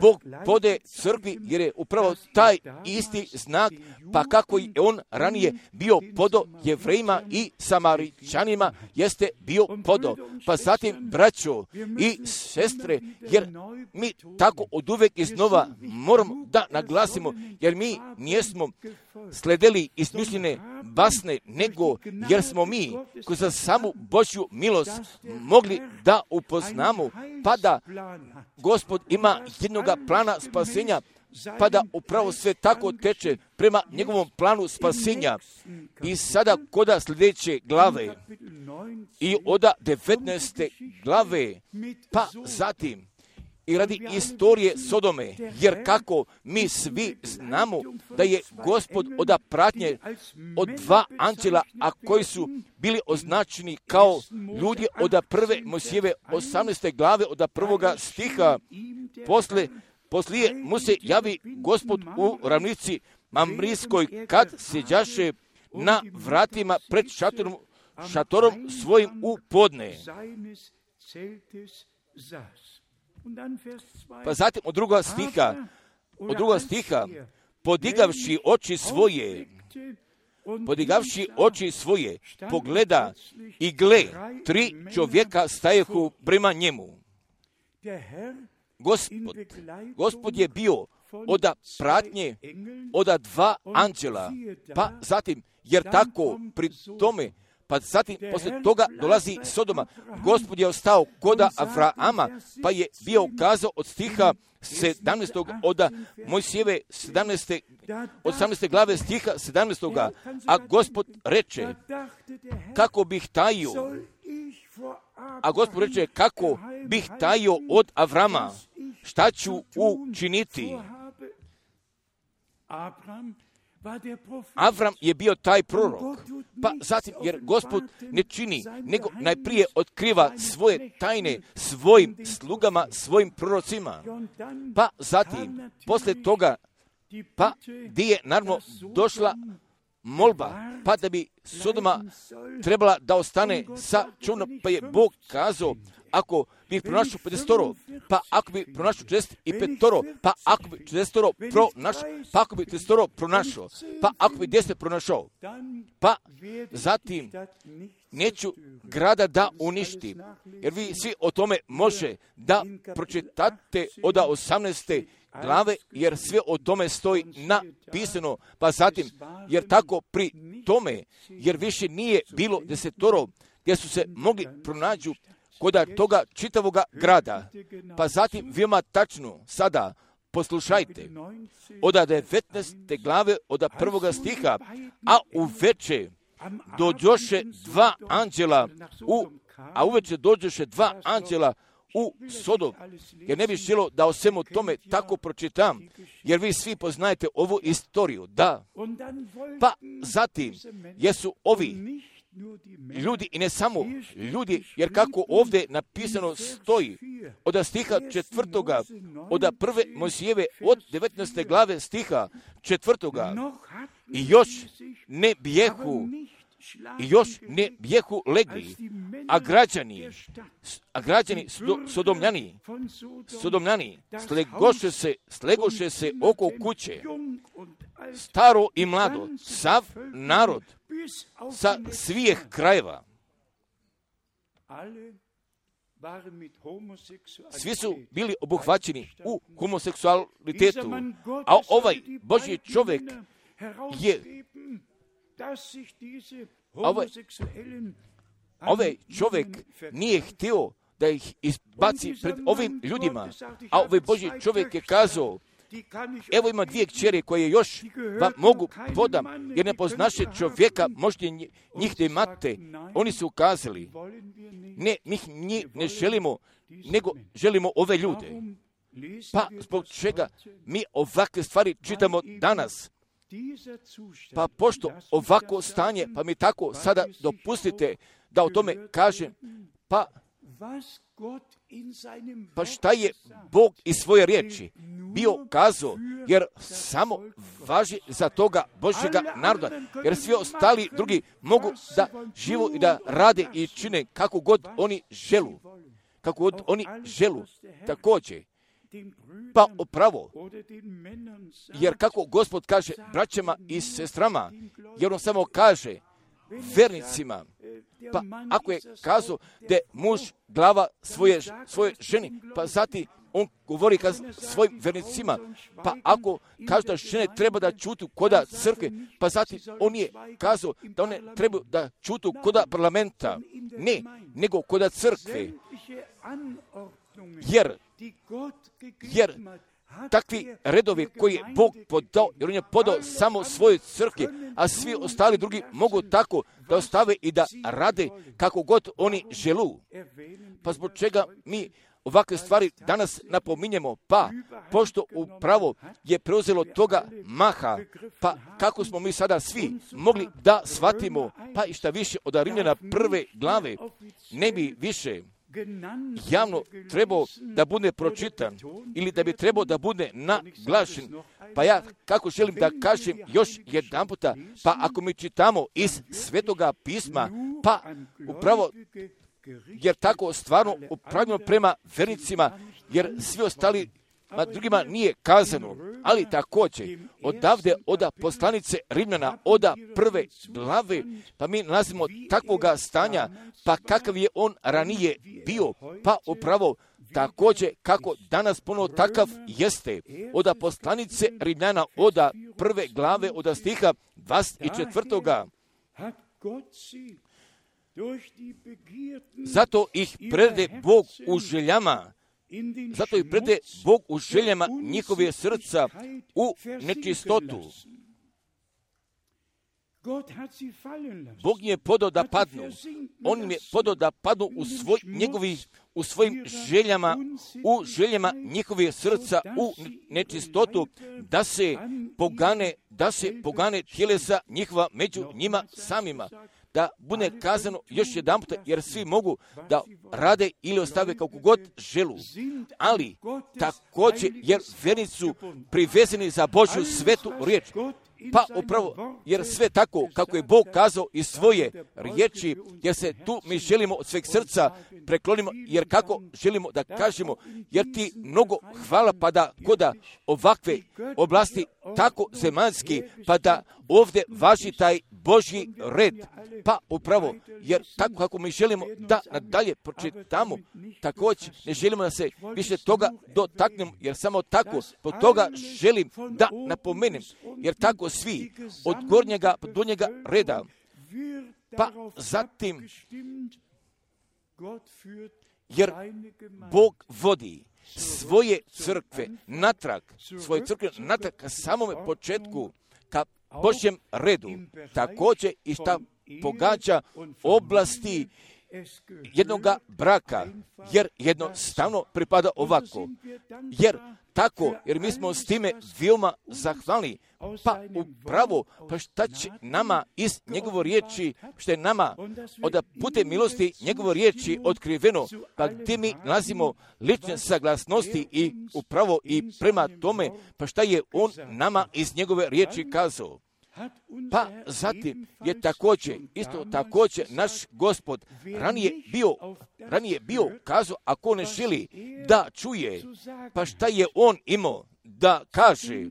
Speaker 1: Bog pode crkvi, jer je upravo taj isti znak, pa kako je on ranije bio podo Jevrejima i Samaričanima, jeste bio podo. Pa zatim, braćo i sestre, jer mi tako od uvek iznova moramo da naglasimo, jer mi nijesmo sledeli izmišljene basne, nego jer smo mi koji za samu Božju milost mogli da upoznamo, pa da Gospod ima jednoga plana spasenja, pa da upravo sve tako teče prema njegovom planu spasenja. I sada koda sljedeće glave i oda devetnaeste glave, pa zatim i radi istorije Sodome, jer kako mi svi znamo da je Gospod od pratnje od dva anđela, a koji su bili označeni kao ljudi od prve Mojsijeve osamnaeste glave od prvoga stiha, posle, poslije mu se javi Gospod u ravnici Mamrijskoj kad sjeđaše na vratima pred šatorom, šatorom svojim u podne. Pa zatim od druga stiha, od druga stiha, podigavši oči svoje, podigavši oči svoje, pogleda i gle, tri čovjeka stajehu prema njemu. Gospod, Gospod je bio od pratnje od dva anđela, pa zatim, jer tako pri tome, pa zatim posle toga dolazi Sodoma. Gospod je ostao koda Avrama, pa je bio kazao od stiha sedamnaestog od Mojsijeve sedamnaeste, osamnaeste glave stiha sedamnaestog. A Gospod reče, kako bih tajio, a Gospod reče, kako bih tajio od Avrama, šta ću učiniti? Avram je bio taj prorok, pa zatim, jer Gospod ne čini, nego najprije otkriva svoje tajne svojim slugama, svojim prorocima, pa zatim, posle toga pa gdje je naravno došla molba, pa da bi Sodoma trebala da ostane sa čovnom, pa je Bog kazao, ako bi pronašao pedesetoro, pa ako bi pronašao četrdeset petoro, pa ako bi četrdesetoro pronašao, pa ako bi tridesetoro pronašao, pa ako bi deset pronašao, pa zatim neću grada da uništi, jer vi svi o tome može da pročitate od osamnaeste glave, jer sve o tome stoji napisano, pa zatim, jer tako pri tome, jer više nije bilo desetoro, gdje su se mogli pronađu koda toga čitavoga grada, pa zatim veoma tačno sada poslušajte, od devetnaeste glave, od prvoga stiha, a uveče dođoše dva anđela u, a uveče dođoše dva anđela u Sodom, jer ne bi želo da o svemu tome tako pročitam, jer vi svi poznajete ovu istoriju, da. Pa zatim, jesu ovi ljudi, i ne samo ljudi, jer kako ovdje napisano stoji, od stiha četvrtoga, od prve Mojsijeve, od devetnaeste glave stiha četvrtoga, i još ne bijehu, i još ne bijehu legli, a građani, a građani sodomljani, sodomljani, slegoše se, slegoše se oko kuće, staro i mlado, sav narod, sa svih krajeva. Svi su bili obuhvaćeni u homoseksualitetu, a ovaj Božji čovjek je ovaj, ovaj čovjek nije htio da ih izbaci pred ovim ljudima, a ovaj Božji čovjek je kazao, evo ima dvije kćeri koje još vam mogu podam, jer ne poznaše čovjeka, možete njih da imate. Oni su ukazali, ne, mi njih ne želimo, nego želimo ove ljude. Pa zbog čega mi ovakve stvari čitamo danas? Pa pošto ovako stanje, pa mi tako sada dopustite da o tome kažem, pa Pa šta je Bog iz svoje riječi bio kazao, jer samo važi za toga Božjega naroda, jer svi ostali drugi mogu da živu i da rade i čine kako god oni želu, kako god oni želu, također. Pa upravo, jer kako Gospod kaže braćama i sestrama, jer on samo kaže vernicima, pa ako je kazao da je muž glava svoje, svoje ženi, pa zatim on govori ka svojim vernicima, pa ako kaže da žene treba da čutu koda crkve, pa zatim on je kazao da one trebaju da čutu koda parlamenta, ne, nego koda crkve, jer, jer takvi redovi koji je Bog podao, jer on je podao samo svoje crkve, a svi ostali drugi mogu tako da ostave i da rade kako god oni želu. Pa zbog čega mi ovakve stvari danas napominjemo, pa pošto upravo je preuzelo toga maha, pa kako smo mi sada svi mogli da shvatimo, pa i šta više od Rimljana prve glave, ne bi više javno trebao da bude pročitan ili da bi trebao da bude naglašen. Pa ja kako želim da kažem još jedan puta, pa ako mi čitamo iz Svetoga pisma, pa upravo jer tako stvarno upravljamo prema vernicima, jer svi ostali a drugima nije kazano, ali također odavde oda poslanice Rimljana, oda prve glave, pa mi nalazimo takvoga stanja, pa kakav je on ranije bio, pa upravo također kako danas ponovo takav jeste, oda poslanice Rimljana, oda prve glave, oda stiha dvadeset četvrtoga. Zato ih prede Bog u željama, zato i prede Bog u željama njihove srca u nečistotu. Bog im je podao da padnu. On im je podao da padnu u, svoj, njegovi, u svojim željama, u željama njihove srca u nečistotu, da se pogane, da se pogane tjelesa njihova među njima samima. da bude kazano još jedanput, jer svi mogu da rade ili ostave kako god želu. Ali također, jer vjernici su privezeni za Božju svetu riječ. Pa upravo, jer sve tako kako je Bog kazao iz svoje riječi, jer se tu mi želimo od sveg srca preklonimo, jer kako želimo da kažemo, jer ti mnogo hvala pa da koda ovakve oblasti tako zemaljski, pa da ovdje važi taj Božji red. Pa upravo, jer tako kako mi želimo da nadalje pročitamo, također ne želimo da se više toga dotaknemo, jer samo tako, po toga želim da napomenem, jer tako svi od gornjega do donjega reda, pa zatim, jer Bog vodi svoje crkve natrag, svoje crkve natrag ka samome početku, ka Božjem redu, također i šta pogađa oblasti jednoga braka, jer jednostavno pripada ovako. Jer tako, jer mi smo s time veoma zahvalni, pa upravo, pa šta će nama iz njegove riječi, što je nama od putem milosti njegove riječi otkriveno, pa gdje mi nalazimo lične saglasnosti i upravo i prema tome, pa šta je on nama iz njegove riječi kazao. Pa zatim je također, isto također naš Gospod ranije bio, ranije bio kazao, ako ne želi da čuje, pa šta je on imao da kaže,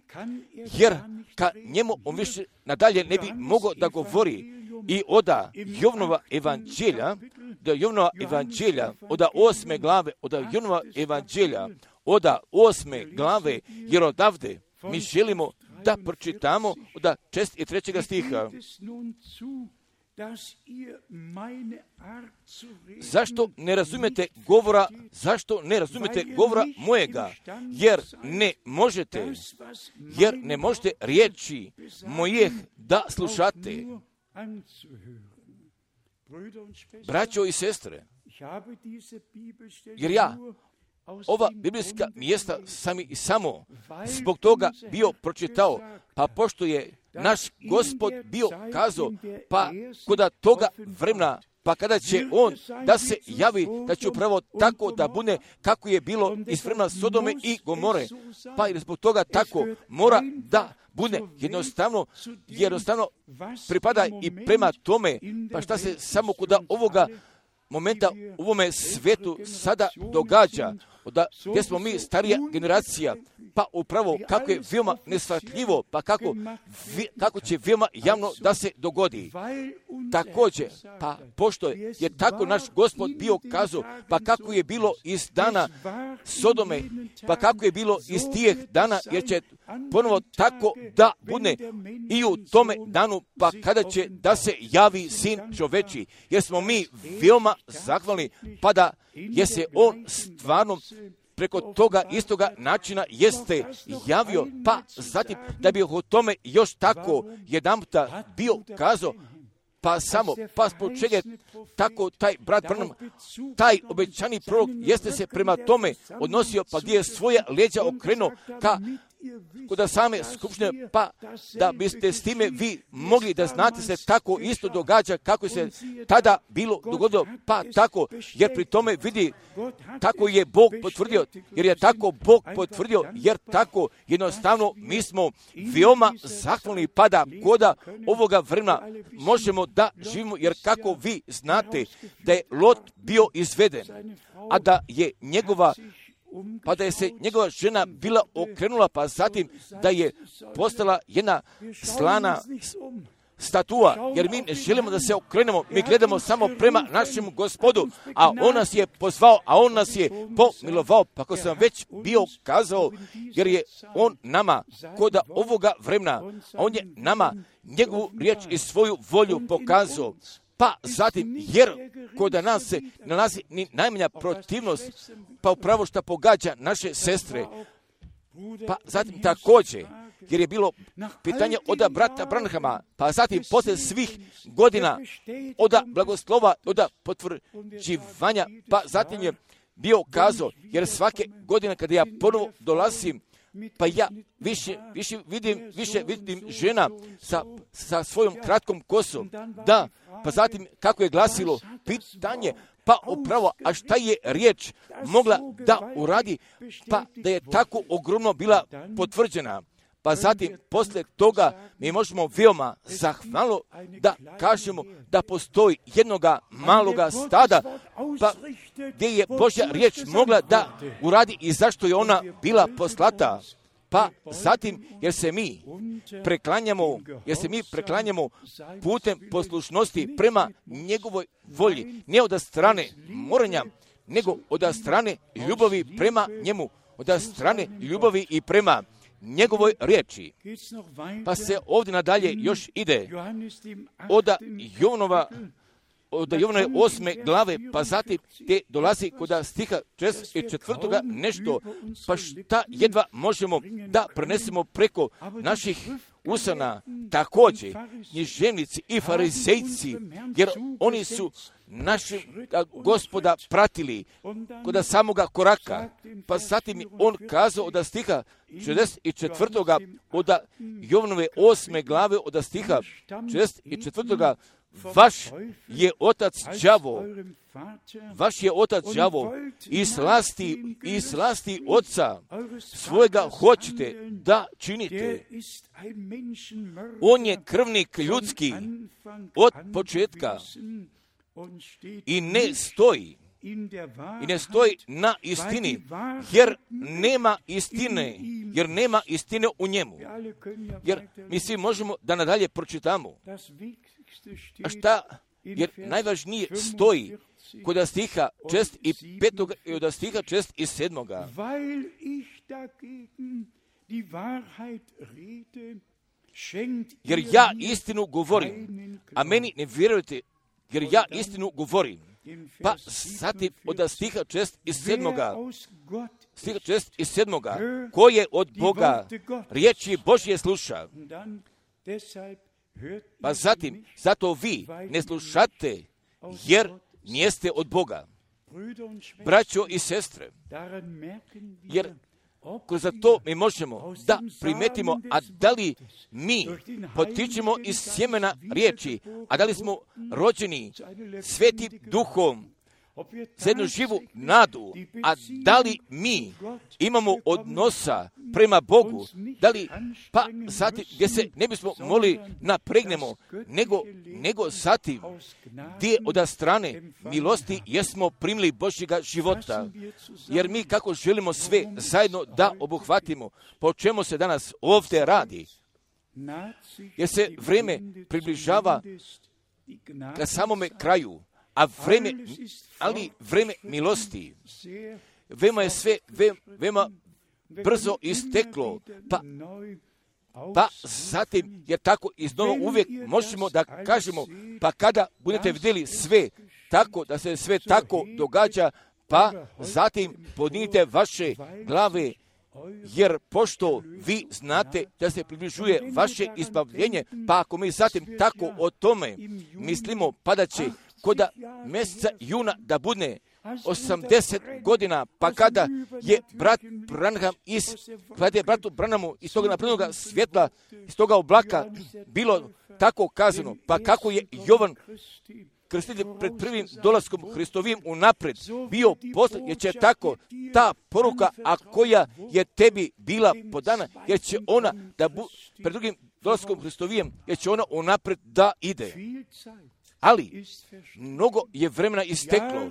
Speaker 1: jer ka njemu on više nadalje ne bi mogao da govori. I oda Jovnova evanđelja, da Jovnova evanđelja, oda osme glave, oda Jovnova evanđelja, oda osme glave, jer odavde mi želimo da pročitamo da šest i trećega stiha. Zašto ne razumijete govora, zašto ne razumijete govora mojega? Jer ne možete, jer ne možete riječi mojih da slušate. Braćo i sestre, jer ja ova biblijska mjesta sam i samo zbog toga bio pročitao, pa pošto je naš Gospod bio kazao, pa koda toga vremena, pa kada će on da se javi, da će upravo tako da bude kako je bilo iz vremena Sodome i Gomore, pa i zbog toga tako mora da bude jednostavno, jednostavno pripada i prema tome, pa šta se samo kod ovoga momenta u ovome svetu sada događa, da, gdje smo mi starija generacija, pa upravo kako je veoma neshvatljivo, pa kako, kako će veoma javno da se dogodi. Također, pa pošto je, je tako naš Gospod bio kazao, pa kako je bilo iz dana Sodome, pa kako je bilo iz tijeh dana, jer će ponovo tako da bude i u tome danu, pa kada će da se javi Sin čoveči, jer smo mi veoma zahvalni, pa da je se on stvarno preko toga istoga načina jeste javio, pa zatim da bi o tome još tako jedanputa bio kazao, pa samo, pa zbog čega je tako taj brat Branham, taj obećani prorok jeste se prema tome odnosio, pa gdje je svoja leđa okrenuo ka kod same skupštine, pa da biste s time vi mogli da znate se tako isto događa kako se tada bilo dogodilo, pa tako, jer pri tome vidi tako je Bog potvrdio, jer je tako Bog potvrdio, jer tako jednostavno mi smo veoma zahvalni, pa da koda ovoga vremena možemo da živimo, jer kako vi znate da je Lot bio izveden, a da je njegova pa da je se njegova žena bila okrenula, pa zatim da je postala jedna slana statua, jer mi ne želimo da se okrenemo, mi gledamo samo prema našem Gospodu, a on nas je pozvao, a on nas je pomilovao, pa ako sam već bio kazao, jer je on nama koda ovoga vremena, on je nama njegovu riječ i svoju volju pokazao. Pa zatim, jer kod nas se nalazi ni najmanja protivnost, pa upravo što pogađa naše sestre, pa zatim također, jer je bilo pitanje od brata Branhama, pa zatim poslije svih godina od blagoslova, od potvrđivanja, pa zatim je bio kazao, jer svake godine kada ja ponovo dolazim pa ja više, više vidim, više vidim žena sa, sa svojom kratkom kosom. Da, pa zatim kako je glasilo pitanje, pa upravo, a šta je riječ mogla da uradi, pa da je tako ogromno bila potvrđena. Pa zatim, poslije toga, mi možemo veoma zahvalno da kažemo da postoji jednoga maloga stada, pa gdje je Božja riječ mogla da uradi i zašto je ona bila poslata. Pa zatim, jer se mi preklanjamo, jer se mi preklanjamo putem poslušnosti prema njegovoj volji, ne od strane moranja, nego od strane ljubavi prema njemu, od strane ljubavi i prema njegovoj riječi. Pa se ovdje nadalje još ide od Jovanova, od Jovanove osme glave, pa zatim gdje dolazi kod stiha šezdeset četvrtoga nešto, pa šta jedva možemo da prenesemo preko naših usana. Također, književnici i farizejci, jer oni su našeg Gospoda pratili kod samoga koraka. Pa zatim on kazao od stiha šezdeset četvrtoga od Jovanove osme glave od stiha šezdeset četvrtoga vaš je otac đavo, vaš je otac đavo i slasti, i slasti oca svojega hoćete da činite. On je krvnik ljudski od početka i ne stoji, i ne stoji na istini, jer nema istine, jer nema istine u njemu. Jer mi svi možemo da nadalje pročitamo. A šta? Jer najvažnije stoji kod stiha šezdeset petog i od stiha šezdeset sedmoga. Jer ja istinu govorim, a meni ne vjerujete, jer ja istinu govorim. Pa zatim od stiha šezdeset sedmoga, stiha šezdeset sedmoga, ko je od Boga riječi Božje sluša. Pa zatim, zato vi ne slušate, jer nijeste od Boga. Braćo i sestre, jer kroz to mi možemo da primetimo, a da li mi potičemo iz sjemena riječi, a da li smo rođeni svetim duhom za jednu živu nadu, a da li mi imamo odnosa prema Bogu, da li, pa zatim, gdje se ne bismo mogli napregnemo, nego, nego zatim, gdje od strane milosti jesmo primili Božjega života, jer mi kako želimo sve zajedno da obuhvatimo, po čemu se danas ovdje radi, jer se vrijeme približava ka samome kraju, a vreme, ali vreme milosti, veoma je sve, ve, veoma brzo isteklo, pa, pa zatim, jer tako iznova uvijek možemo da kažemo, pa kada budete vidjeli sve tako, da se sve tako događa, pa zatim podnijete vaše glave, jer pošto vi znate da se približuje vaše izbavljenje, pa ako mi zatim tako o tome mislimo, pa da će kod mjeseca juna da bude osamdeset godina, pa kada je brat Branham iz, kada je bratu Branhamu iz toga naprednog svjetla, iz toga oblaka bilo tako kazano, pa kako je Jovan krstitelj pred prvim dolaskom Hristovim unapred bio poslan, jer će tako ta poruka, a koja je tebi bila podana, jer će ona da bu, pred drugim dolaskom Hristovijem, jer će ona unapred da ide. Ali, mnogo je vremena isteklo,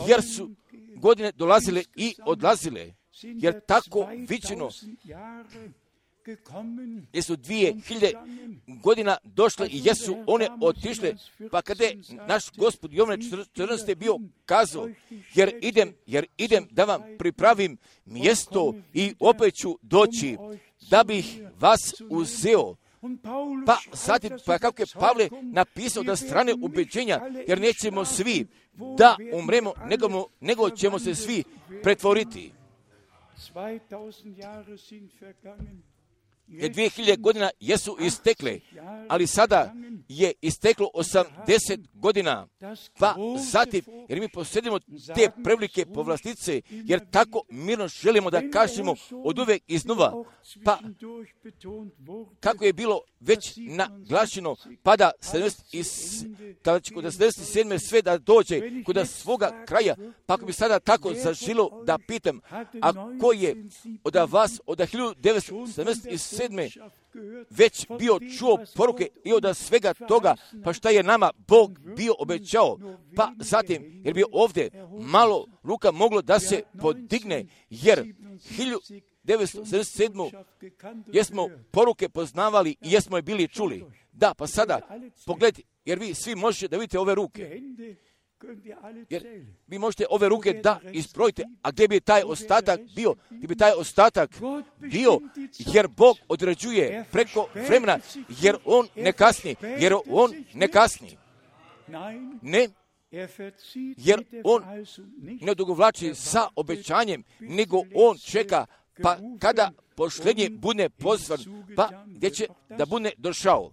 Speaker 1: jer su godine dolazile i odlazile, jer tako viđeno, jer su dvije hiljade godina došle i jesu one otišle, pa kada je naš Gospod Jovan četrnaesti bio kazao, jer idem, jer idem da vam pripravim mjesto i opet ću doći, da bih vas uzeo. Pa zatim, pa kako je Pavle napisao da strane ubeđenja, jer nećemo svi da umremo, nego, nego ćemo se svi pretvoriti. jer dvije hiljade godina jesu istekle, ali sada je isteklo osamdeset godina, pa zatim, jer mi posjedimo te prevelike povlastice, jer tako mirno želimo da kažemo od uvek iznova, pa kako je bilo već naglašeno, pada kada će kod sedamdeset sedme sve da dođe kod svoga kraja, pa ako bi sada tako zažilo da pitam, a ko je od vas od hiljadu devetsto sedamdeset sedme već bio čuo poruke i od svega toga, pa šta je nama Bog bio obećao, pa zatim, jer bi ovdje malo ruka moglo da se podigne, jer hiljadu devetsto sedamdeset sedme jesmo poruke poznavali i jesmo je bili čuli. Da, pa sada, pogledajte, jer vi svi možete da vidite ove ruke. Jer vi možete ove ruke da izbrojite, a gdje bi taj ostatak bio? Gdje bi taj ostatak bio? Jer Bog određuje preko vremena, jer On ne kasni, jer On ne kasni. Ne, jer On ne odugovlači sa obećanjem, nego On čeka, pa kada pošlenje bude pozvan, pa gdje će da bude došao.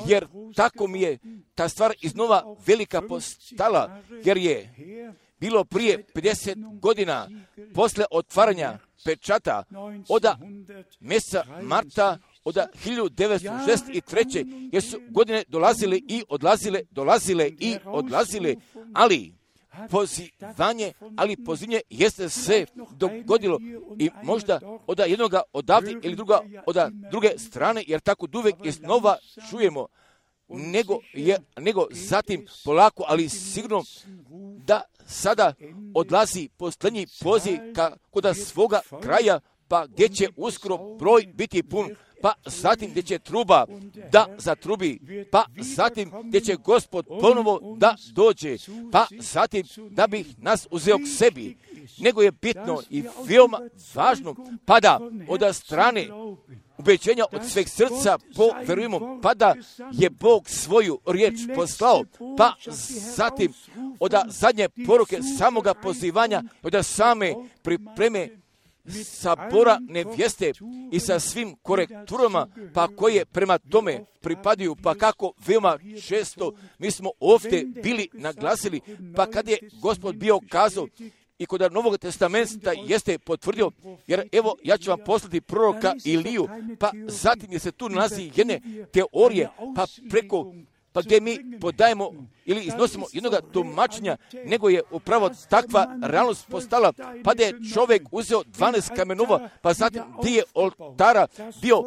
Speaker 1: Jer tako mi je ta stvar iznova velika postala, jer je bilo prije pedeset godina posle otvaranja pečata od mjeseca marta od hiljadu devetsto šezdeset treće jer su godine dolazile i odlazile, dolazile i odlazile, ali pozivanje, ali pozivanje jeste se dogodilo i možda od jednoga odavde ili druga od druge strane, jer tako uvek iznova čujemo, nego, je, nego zatim polako, ali sigurno da sada odlazi posljednji poziv ka, kod svoga kraja, pa gdje će uskoro broj biti pun, pa zatim gdje će truba da zatrubi, pa zatim gdje će Gospod ponovo da dođe, pa zatim da bi nas uzeo k sebi. Nego je bitno i veoma važno, pada od strane ubeđenja od sveg srca, poverujemo, pa da je Bog svoju riječ poslao, pa zatim od zadnje poruke samoga pozivanja, od same pripreme sabora nevjeste i sa svim korekturama, pa koje prema tome pripadaju, pa kako veoma često mi smo ovdje bili naglasili, pa kad je Gospod bio kazao i kod Novog testamenta jeste potvrdio, jer evo ja ću vam poslati proroka Iliju, pa zatim je se tu nalazi jedne teorije, pa preko pa gdje mi podajemo ili iznosimo jednoga tumačenja, nego je upravo takva realnost postala, pa da je čovjek uzeo dvanaest kamenova, pa zatim gdje je oltara bio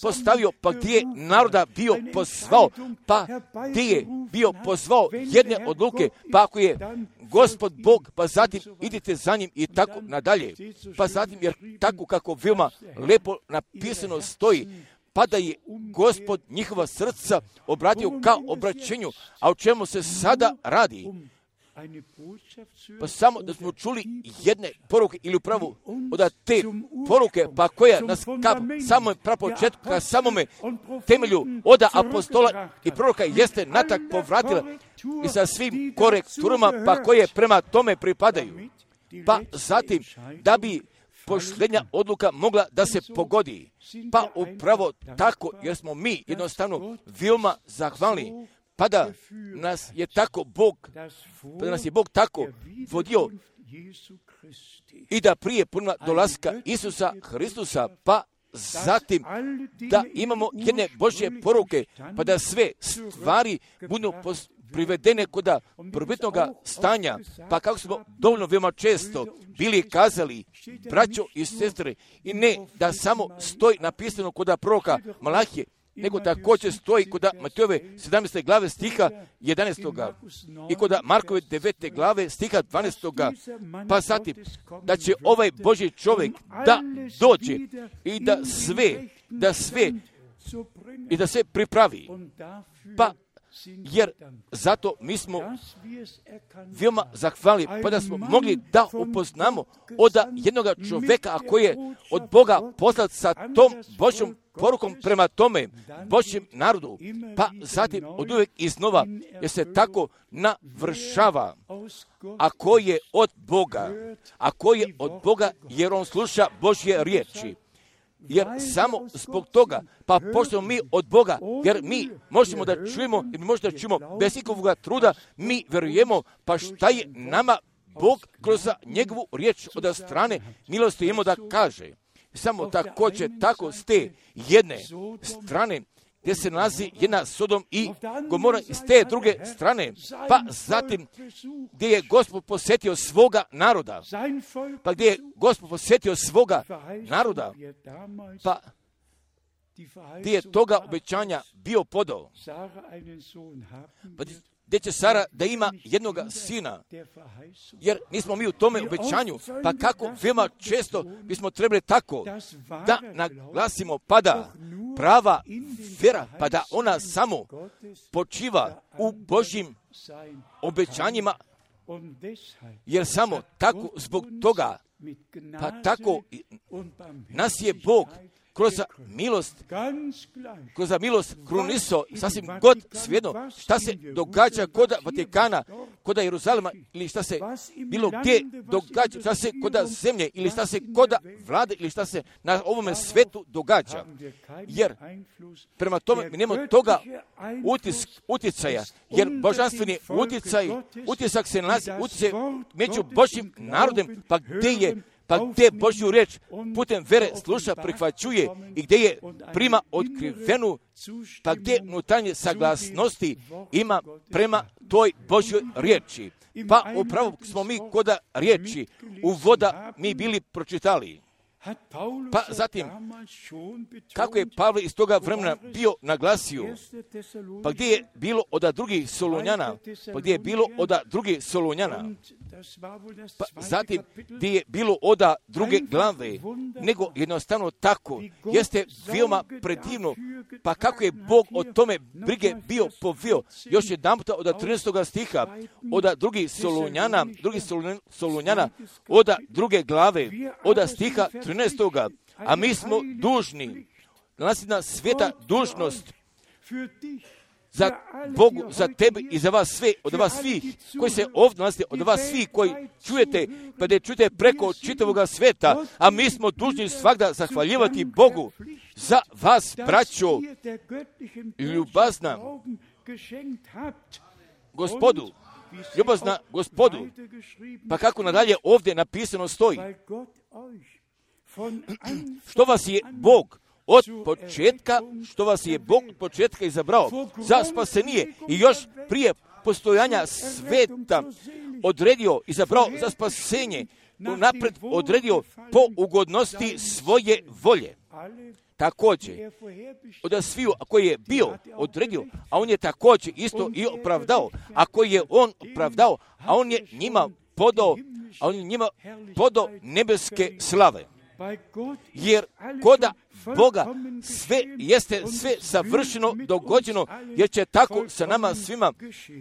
Speaker 1: postavio, pa gdje je naroda bio pozvao, pa gdje je bio pozvao jedne odluke, pa ako je Gospod Bog, pa zatim idite za njim i tako nadalje. Pa zatim, jer tako kako veoma lepo napisano stoji, pa da je Gospod njihova srca obratio ka obraćenju, a o čemu se sada radi? Pa samo da smo čuli jedne poruke ili upravo od te poruke, pa koja nas ka samom prapočetku, ka samome temelju od apostola i proroka jeste natak povratila i sa svim korekturama, pa koje prema tome pripadaju. Pa zatim, da bi posljednja odluka mogla da se pogodi. Pa upravo tako, jer smo mi jednostavno veoma zahvalni, pa da nas je tako Bog, pa da nas je Bog tako vodio i da prije puno dolaska Isusa Hristusa, pa zatim da imamo jedne Božje poruke, pa da sve stvari budu privedene kod prvobitnog stanja, pa kako smo dovoljno veoma često bili kazali, braćo i sestre, i ne da samo stoji napisano kod proroka Malahije, nego također stoji kod Matejove sedamnaeste glave stiha jedanaestog i kod Markove devete glave stiha dvanaestog, pa zatim da će ovaj Božji čovjek da dođe i da sve, da sve i da sve pripravi. Pa jer zato mi smo veoma zahvalni, pa da smo mogli da upoznamo od jednog čovjeka, a koji je od Boga poslat sa tom Božjom porukom prema tome Božjem narodu, pa zatim od uvijek iznova, jer se tako navršava. A ko je od Boga, a ko je od Boga, jer on sluša Božje riječi. jer samo zbog toga, pa pošto mi od Boga, jer mi možemo da čujemo, jer mi možemo da čujemo bez ikakvog truda, mi verujemo, pa šta je nama Bog kroz njegovu riječ od strane milosti imamo da kaže. Samo također tako s te jedne strane gdje se nalazi jedna Sodom i Gomora s te druge strane, pa zatim gdje je Gospod posjetio svoga naroda, pa gdje je Gospod posjetio svoga naroda, pa gdje je toga obećanja bio podao, pa gdje će Sara da ima jednoga sina, jer nismo mi u tome obećanju, pa kako veoma često bismo trebali tako da naglasimo, pa da prava vjera, pa da ona samo počiva u Božjim obećanjima, jer samo tako zbog toga, pa tako nas je Bog kroz milost, kroz milost kruniso, sasvim god svejedno, šta se događa kod Vatikana, kod Jeruzalema, ili šta se bilo gdje događa, šta se kod zemlje, ili šta se kod vlade, ili šta se na ovome svetu događa. Jer prema tome mi nemamo toga utisk, utjecaja, jer božanstveni utjecaj, utisak se nalazi, utjecaj među Božjim narodem, pa gdje je pa gdje Božju riječ putem vere sluša, prihvaćuje i gdje je prima otkrivenu, pa gdje unutarnje saglasnosti ima prema toj Božjoj riječi. Pa upravo smo mi kod riječi uvoda mi bili pročitali. Pa zatim, kako je Pavle iz toga vremena bio naglasio, pa gdje je bilo od drugih Solunjana, pa gdje je bilo od drugih Solunjana, pa zatim gdje je bilo od druge glave, nego jednostavno tako, jeste veoma predivno, pa kako je Bog o tome brige bio povio, još jedan puta od trinaestog stiha, od drugih Solunjana, drugih Solunjana, od druge glave, od stiha trinaestoga, a mi smo dužni, nasljedna sveta dužnost za Bogu, za tebe i za vas sve, od vas svih, koji se ovdje nalazite, od vas svih koji čujete, pa da čujete preko čitavoga sveta, a mi smo dužni svakda zahvaljivati Bogu za vas, braćo, ljubazna Gospodu, ljubazna Gospodu, pa kako nadalje ovdje napisano stoji, što vas je Bog od početka, što vas je Bog od početka izabrao za spasenije i još prije postojanja sveta odredio, izabrao za spasenje, napred odredio po ugodnosti svoje volje. Također, od sviju koji je bio odredio, a on je također isto i opravdao, a koji je on opravdao, a on je njima podao, a on je njima podao nebeske slave. Jer koda Boga sve jeste sve savršeno dogođeno, jer će tako sa nama svima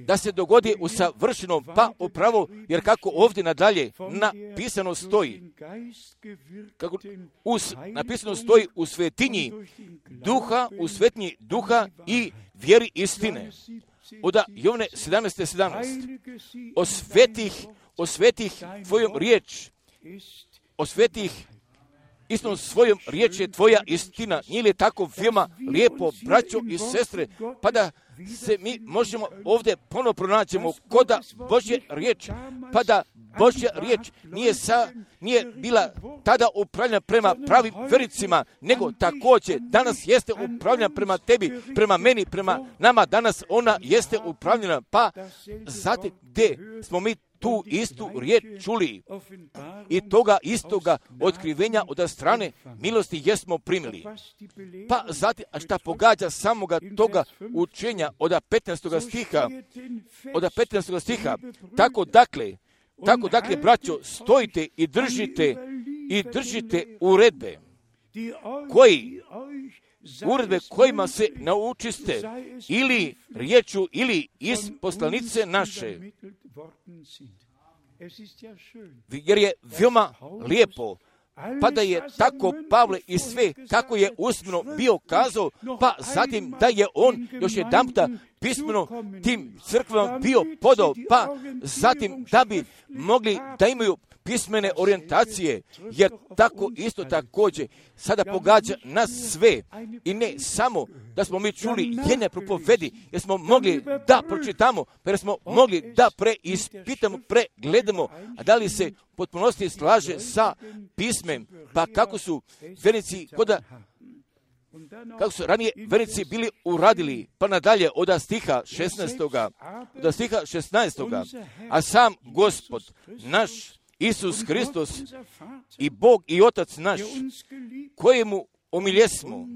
Speaker 1: da se dogodi u savršenom, pa upravo, jer kako ovdje nadalje napisano stoji, kako us, napisano stoji u svetinji duha, u svetinji duha i vjeri istine. Od Jovne sedamnaest sedamnaest. O svetih, o svetih tvojom riječ, o svetih istom svojom riječ je tvoja istina. Nije li tako veoma lijepo, braćo i sestre, pa da se mi možemo ovdje ponovno pronaćemo koda Božje riječ, pa da Božja riječ nije, sa, nije bila tada upravljena prema pravim vericima, nego također danas jeste upravljena prema tebi, prema meni, prema nama, danas ona jeste upravljena, pa zatim gdje smo mi tu istu riječ čuli i toga istoga otkrivenja od strane milosti jesmo primili. Pa zatim, a šta pogađa samoga toga učenja od petnaestog stiha, od petnaestog stiha, tako dakle, tako dakle, braćo, stojite i držite, i držite uredbe, koji, uredbe kojima se naučiste, ili riječu, ili iz poslanice naše. Jer je veoma lijepo, pa da je tako Pavle i sve, kako je usmeno bio kazao, pa zatim da je on još jedan puta pismeno tim crkvama bio podao, pa zatim da bi mogli da imaju pismene orijentacije, jer tako isto također sada pogađa nas sve i ne samo da smo mi čuli jedne propovedi, jer smo mogli da pročitamo, jer smo mogli da preispitamo, pregledamo, a da li se u potpunosti slaže sa pismem, pa kako su vernici koda kako su ranije vernici bili uradili, pa nadalje od stiha šesnaestoga, od stiha šesnaestoga, a sam Gospod, naš Isus Hristos i Bog i Otac naš, kojemu omiljesmo,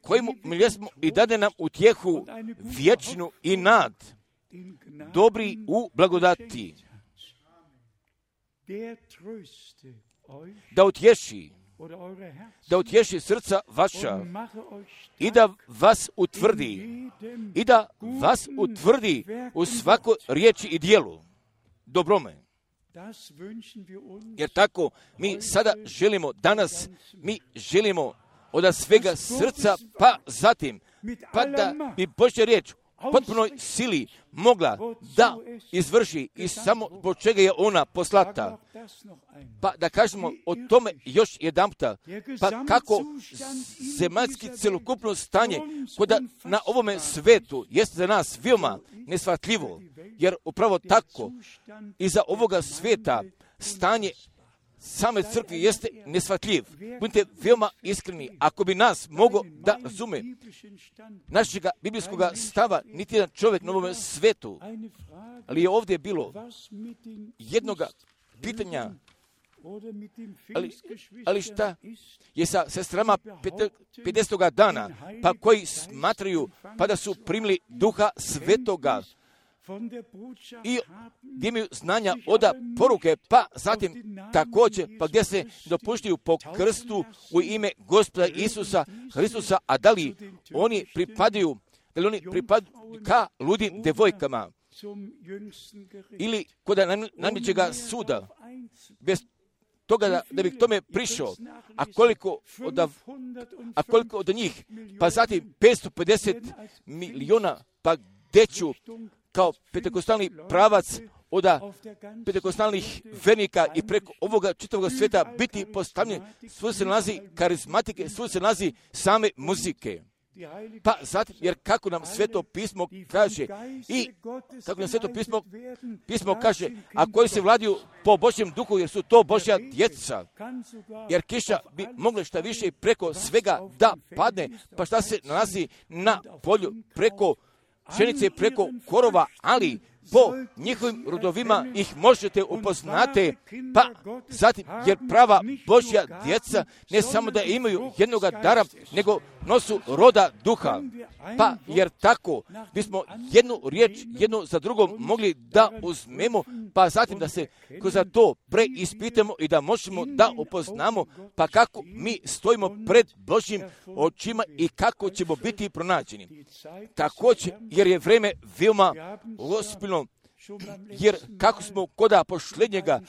Speaker 1: kojemu omiljesmo i dade nam utjehu vječnu i nad, dobri u blagodati, da utješi, da utješi srca vaša i da vas utvrdi, i da vas utvrdi u svakoj riječi i dijelu dobrome. Jer tako mi sada želimo, danas mi želimo od svega srca, pa zatim, pa da bi Božja riječ potpunoj sili mogla da izvrši i samo zbog čega je ona poslata. Pa da kažemo o tome još jedanputa, pa kako zemaljski celokupno stanje koda na ovome svetu jeste za nas veoma neshvatljivo, jer upravo tako i za ovoga sveta stanje same crkve jeste neshvatljiv. Budite veoma iskreni, ako bi nas mogo da razume našega biblijskog stava niti jedan čovjek na ovom svetu, ali je ovdje bilo jednoga pitanja, ali, ali šta je sa sestrama pedesetog dana, pa koji smatraju pa da su primili Duha Svetoga i gdje imaju znanja od poruke, pa zatim također, pa gdje se dopuštaju po krstu u ime Gospoda Isusa Hristusa, a da li oni pripadaju, da li oni pripadaju ka ludim devojkama ili kod najvećega suda, bez toga da, da bi k tome prišao, a koliko od, a koliko od njih, pa zatim petsto pedeset milijuna, pa gdje ću kao pentekostalni pravac od pentekostalnih vernika i preko ovoga čitavog sveta biti postavljen, svoj se nalazi karizmatike, svoj se nalazi same muzike. Pa zatim, jer kako nam Sveto pismo kaže i kako nam Sveto pismo, pismo kaže, a koji se vladiju po Božjem duhu, jer su to Božja djeca, jer kiša bi mogla šta više preko svega da padne, pa šta se nalazi na polju preko pšenice, preko korova, ali po njihovim rodovima ih možete upoznati, pa zatim, jer prava Božja djeca ne samo da imaju jednoga dara, nego nosu roda duha, pa jer tako bismo jednu riječ, jednu za drugom mogli da uzmemo, pa zatim da se kroz to preispitamo i da možemo da upoznamo, pa kako mi stojimo pred Božjim očima i kako ćemo biti pronađeni. Također, jer je vreme veoma ozbiljno, jer kako smo koda posljednjega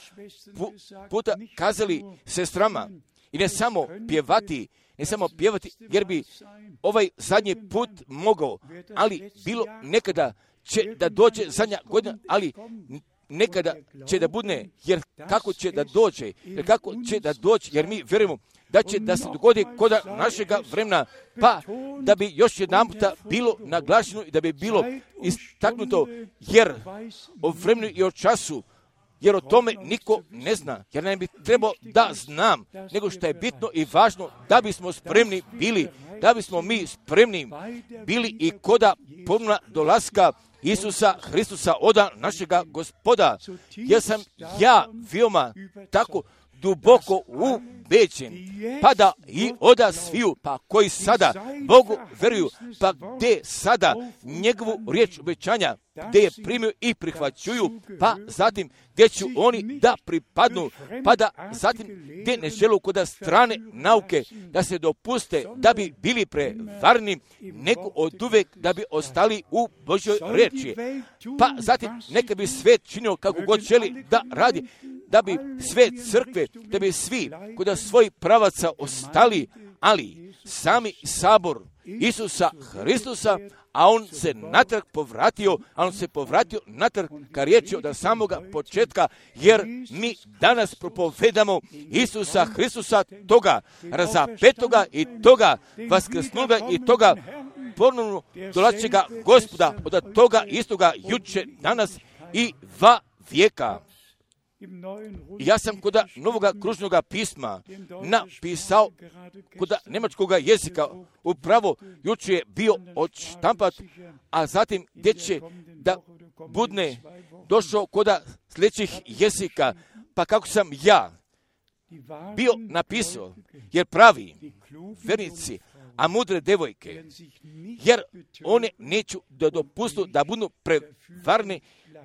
Speaker 1: puta kazali sestrama, i ne samo pjevati, ne samo pjevati, jer bi ovaj zadnji put mogao, ali bilo nekada će da dođe zadnja godina, ali nekada će da bude, jer kako će da dođe, jer kako će da dođe, jer mi vjerujemo da će da se dogodi koda našega vremena, pa da bi još jedan puta bilo naglašeno i da bi bilo istaknuto, jer o vremenu i o času, jer o tome niko ne zna, jer ne bi trebao da znam, nego što je bitno i važno da bismo spremni bili, da bismo mi spremni bili i koda ponovna dolaska Isusa Hristusa, oda našega Gospoda, jer sam ja veoma tako duboko ubeđen, pa da i oda sviju, pa koji sada Bogu veruju, pa gdje sada njegovu riječ obećanja, gdje je primio i prihvaćuju, pa zatim gdje će oni da pripadnu, pa da zatim gdje ne želu kod strane nauke da se dopuste da bi bili prevarni, nego od uvek da bi ostali u Božjoj riječi. Pa zatim neka bi svet činio kako god želi da radi, da bi sve crkve, da bi svi kod svojih pravaca ostali, ali sami sabor Isusa Hristusa, a on se natrag povratio, a on se povratio natrag ka riječi od samoga početka, jer mi danas propovedamo Isusa Hristusa, toga razapetoga i toga vaskrsnuga i toga ponovno dolazećega Gospoda, od toga istoga juče, danas i va vijeka. Ja sam kod novoga kružnoga pisma napisao kod njemačkog jezika, upravo juče je bio odštampat, a zatim gdje će da budne došao kod sljedećih jezika, pa kako sam ja bio napisao, jer pravi vernici, a mudre devojke, jer one neću da dopustu da budu prevarne,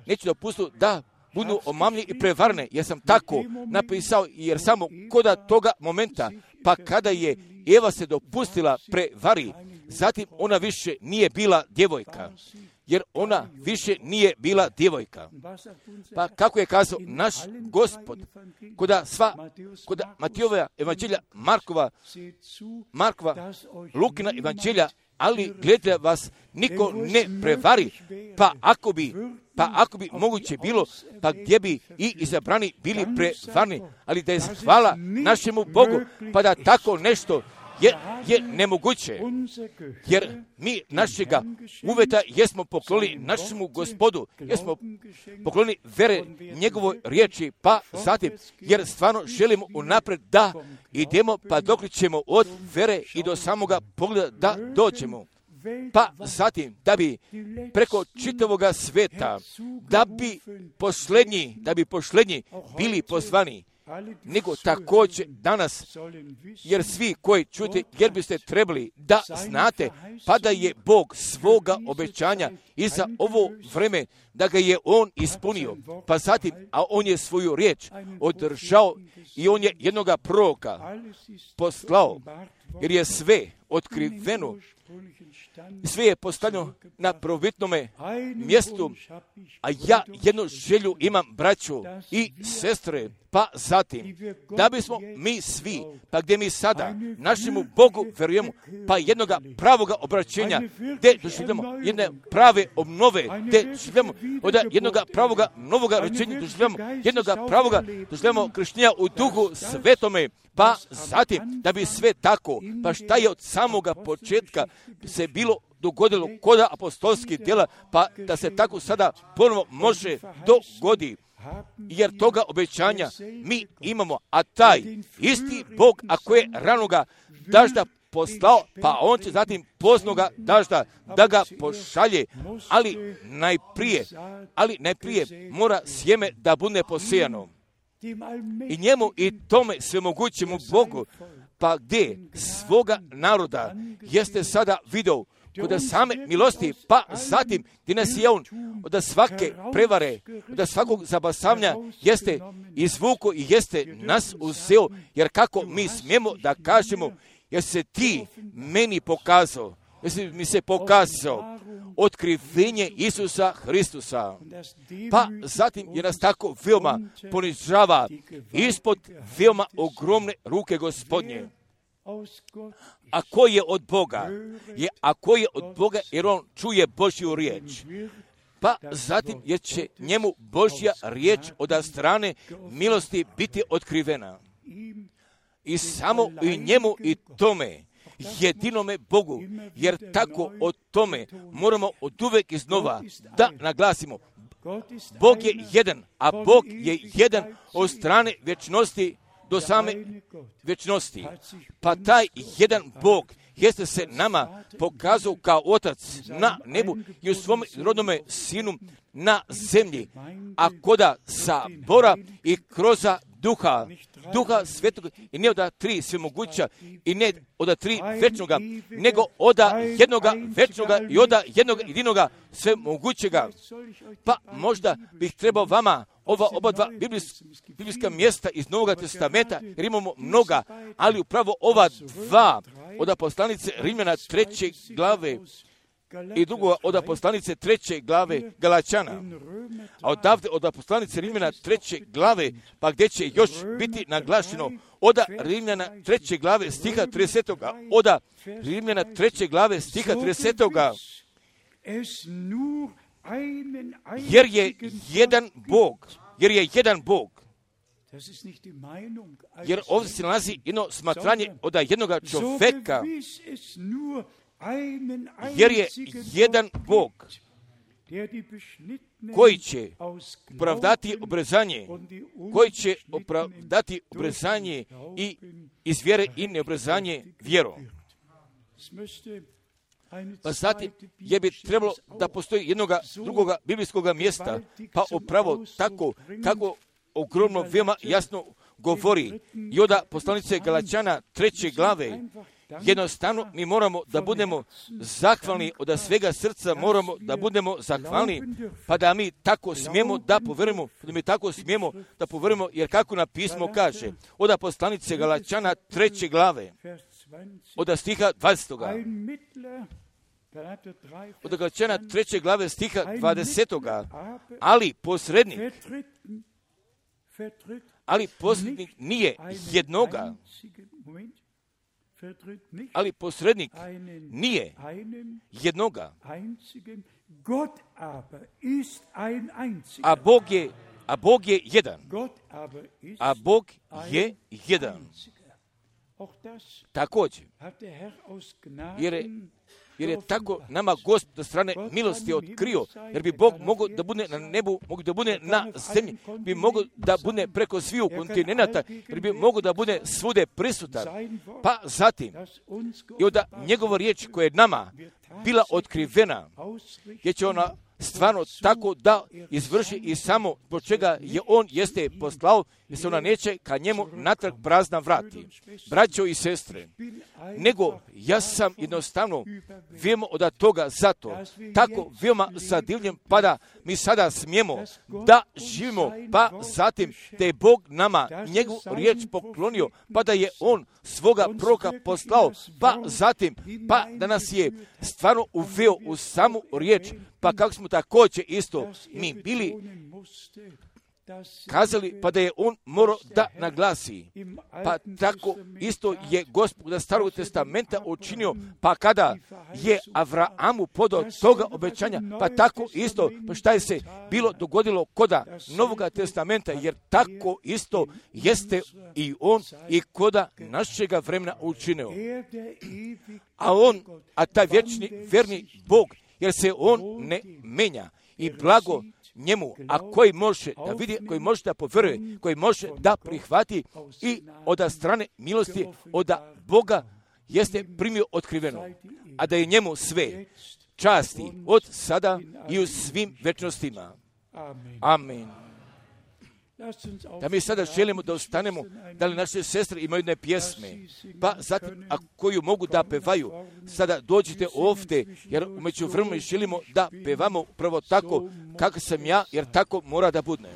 Speaker 1: neću dopustu da budu omamljeni i prevarne, jer sam tako napisao, jer samo koda toga momenta, pa kada je Eva se dopustila prevari, zatim ona više nije bila djevojka, jer ona više nije bila djevojka. Pa kako je kazao naš Gospod, koda sva, koda Matijova evanđelja, Markova, Markova, Lukina evanđelja, ali gledajte vas, niko ne prevari, pa ako bi, pa ako bi moguće bilo, pa gdje bi i izabrani bili prevarni, ali da je hvala našemu Bogu, pa da tako nešto je, je nemoguće, jer mi našega uveta jesmo poklonili našemu Gospodu, jesmo poklonili vere njegovoj riječi, pa zatim, jer stvarno želimo unapred da idemo, pa dok ćemo od vere i do samoga pogleda da dođemo. Pa zatim, da bi preko čitavoga sveta, da bi posljednji, da bi posljednji bili pozvani, nego također danas, jer svi koji čujete, jer biste trebali da znate, pa da je Bog svoga obećanja i za ovo vreme, da ga je On ispunio, pa zatim, a On je svoju riječ održao i On je jednoga proroka poslao, jer je sve otkriveno, sve je postavljeno na prvobitnome mjestu, a ja jednu želju imam, braću i sestre, pa zatim, da bismo mi svi, pa gdje mi sada našemu Bogu verujemo, pa jednoga pravoga obraćenja, gdje doživljamo jedne prave obnove, gdje doživljamo od jednoga pravoga novoga rođenja, doživljamo jednoga pravoga, doživljamo krštenja u duhu svetome, pa zatim, da bi sve tako, pa šta je od samoga početka se bilo dogodilo kod apostolskih djela, pa da se tako sada ponovo može dogodi, jer toga obećanja mi imamo, a taj isti Bog, ako je ranoga dažda poslao, pa on će zatim poznoga dažda da ga pošalje, ali najprije, ali najprije mora sjeme da bude posijano. I njemu i tome svemogućemu Bogu, pa gdje svoga naroda jeste sada video kod same milosti, pa zatim gdje nas je on od svake prevare, od svakog zabasavanja jeste izvuko i jeste nas uzeo, jer kako mi smijemo da kažemo, jer se ti meni pokazao, jer si mi se pokazao otkrivenje Isusa Hristusa. Pa zatim je nas tako veoma ponižava ispod veoma ogromne ruke Gospodnje. A ko je od Boga? Je, a ko je od Boga, jer on čuje Božju riječ. Pa zatim jer će njemu Božja riječ od strane milosti biti otkrivena. I samo i njemu i tome, jedinome Bogu, jer tako o tome moramo od uvek iznova da naglasimo. Bog je jedan, a Bog je jedan od strane vječnosti do same vječnosti. Pa taj jedan Bog jeste se nama pokazao kao Otac na nebu i u svom rodnome Sinu na zemlji, a koda sabora i kroza duha, duha svetog, i ne od tri svemoguća i ne od tri večnoga, nego od jednoga večnoga i od jednog jedinoga svemogućega. Pa možda bih trebao vama ova oba dva biblijska mjesta iz Novog Testamenta, jer imamo mnoga, ali upravo ova dva od poslanice Rimljana treće glave i drugo od poslanice treće glave Galačana, a odavde od poslanice Rimljana treće glave, pa gdje će još biti naglašeno od Rimljana treće glave stiha tridesetoga, od Rimljana treće glave stiha tridesetoga, jer je jedan Bog, jer je jedan Bog, jer ovdje se nalazi jedno smatranje od jednoga čovjeka, jer je jedan Bog koji će opravdati obrezanje, koji će opravdati obrezanje i iz vjere i neobrezanje vjerom. Pa zatim je bi trebalo da postoji jednoga drugoga biblijskoga mjesta, pa upravo tako kako ogromno veoma jasno govori i od poslanice Galačana treće glave. Jednostavno mi moramo da budemo zahvalni, od svega srca moramo da budemo zahvalni, pa da mi tako smijemo da poverujemo, da mi tako smijemo da poverujemo, jer kako na pismo kaže, od poslanice Galačana treće glave, od stiha dvadesetoga, od Galačana treće glave stiha dvadesetoga, ali posrednik, ali posrednik nije jednoga, ali posrednik nije jednoga, a Bog je, a Bog je jedan, a Bog je jedan. Također, jer je, jer je tako nama Gospod do strane milosti otkrio, jer bi Bog mogao da bude na nebu, mogao da bude na zemlji, bi mogao da bude preko sviju kontinenta, jer bi mogao da bude svude prisutan. Pa zatim, i onda njegova riječ koja je nama bila otkrivena, jer će ona stvarno tako da izvrši i samo zbog čega je on jeste poslao, jer se ona neće ka njemu natrag prazna vrati. Braćo i sestre, nego ja sam jednostavno veoma od toga zato, tako veoma zadivljen, pa da mi sada smijemo da živimo, pa zatim da je Bog nama njegovu riječ poklonio, pa da je on svoga proroka poslao, pa zatim, pa da nas je stvarno uveo u samu riječ, pa kako smo također isto mi bili kazali, pa da je on morao da naglasi. Pa tako isto je Gospod da Starog testamenta učinio, pa kada je Avraamu podao toga obećanja, pa tako isto, pa šta je se bilo dogodilo koda Novoga testamenta, jer tako isto jeste i on i koda našega vremena učinio. A on, a taj vječni, verni Bog, jer se on ne menja i blago njemu, a koji može da vidi, koji može da poveruje, koji može da prihvati i od strane milosti, od Boga jeste primio otkriveno, a da je njemu sve časti od sada i u svim večnostima. Amen. Da mi sada želimo da ostanemo, da li naše sestre imaju jedne pjesme, pa zatim, a koju mogu da pevaju, sada dođite ovdje, jer umeđu vremenu želimo da pevamo prvo tako kako sam ja, jer tako mora da bude.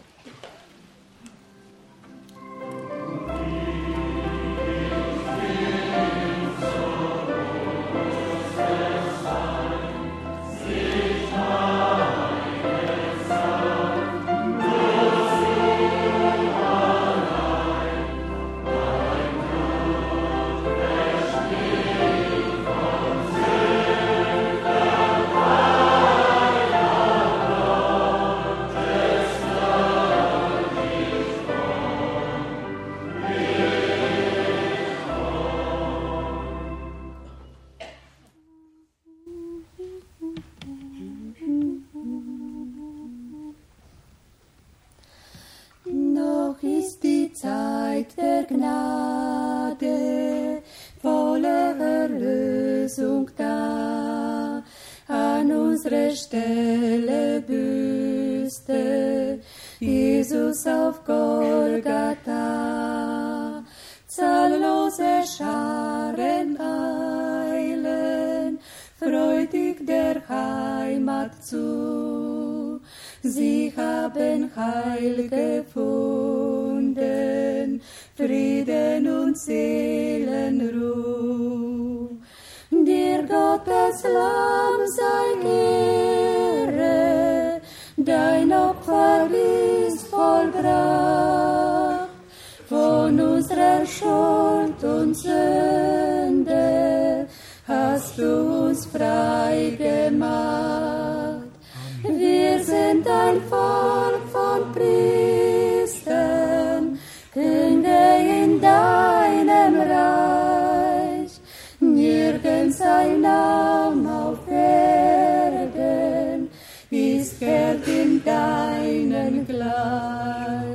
Speaker 2: Dir Gottes Lamm sei Schuld und Sünde hast du uns frei gemacht. Wir sind ein Volk von Priestern, Könige in deinem Reich. Nirgends ein Name auf Erden ist wert in deinen gleich.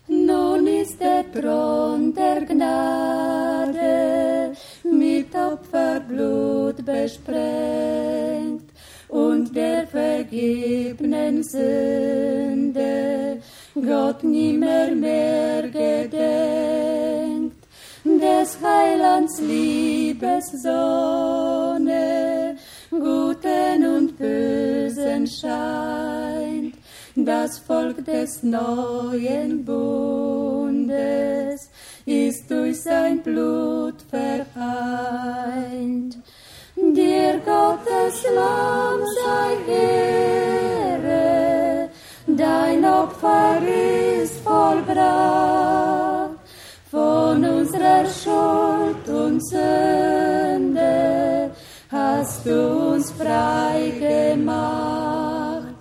Speaker 2: Nun ist der Thron der Gnade mit Opferblut besprengt und der vergebenen Sünde Gott nimmer mehr gedenkt. Des Heilands Liebessonne Guten und Bösen scheint, das Volk des neuen Bundes ist durch sein Blut vereint. Dir Gottes Lamm sei Ehre, dein Opfer ist vollbracht, von unserer Schuld und Sünde hast du uns frei gemacht.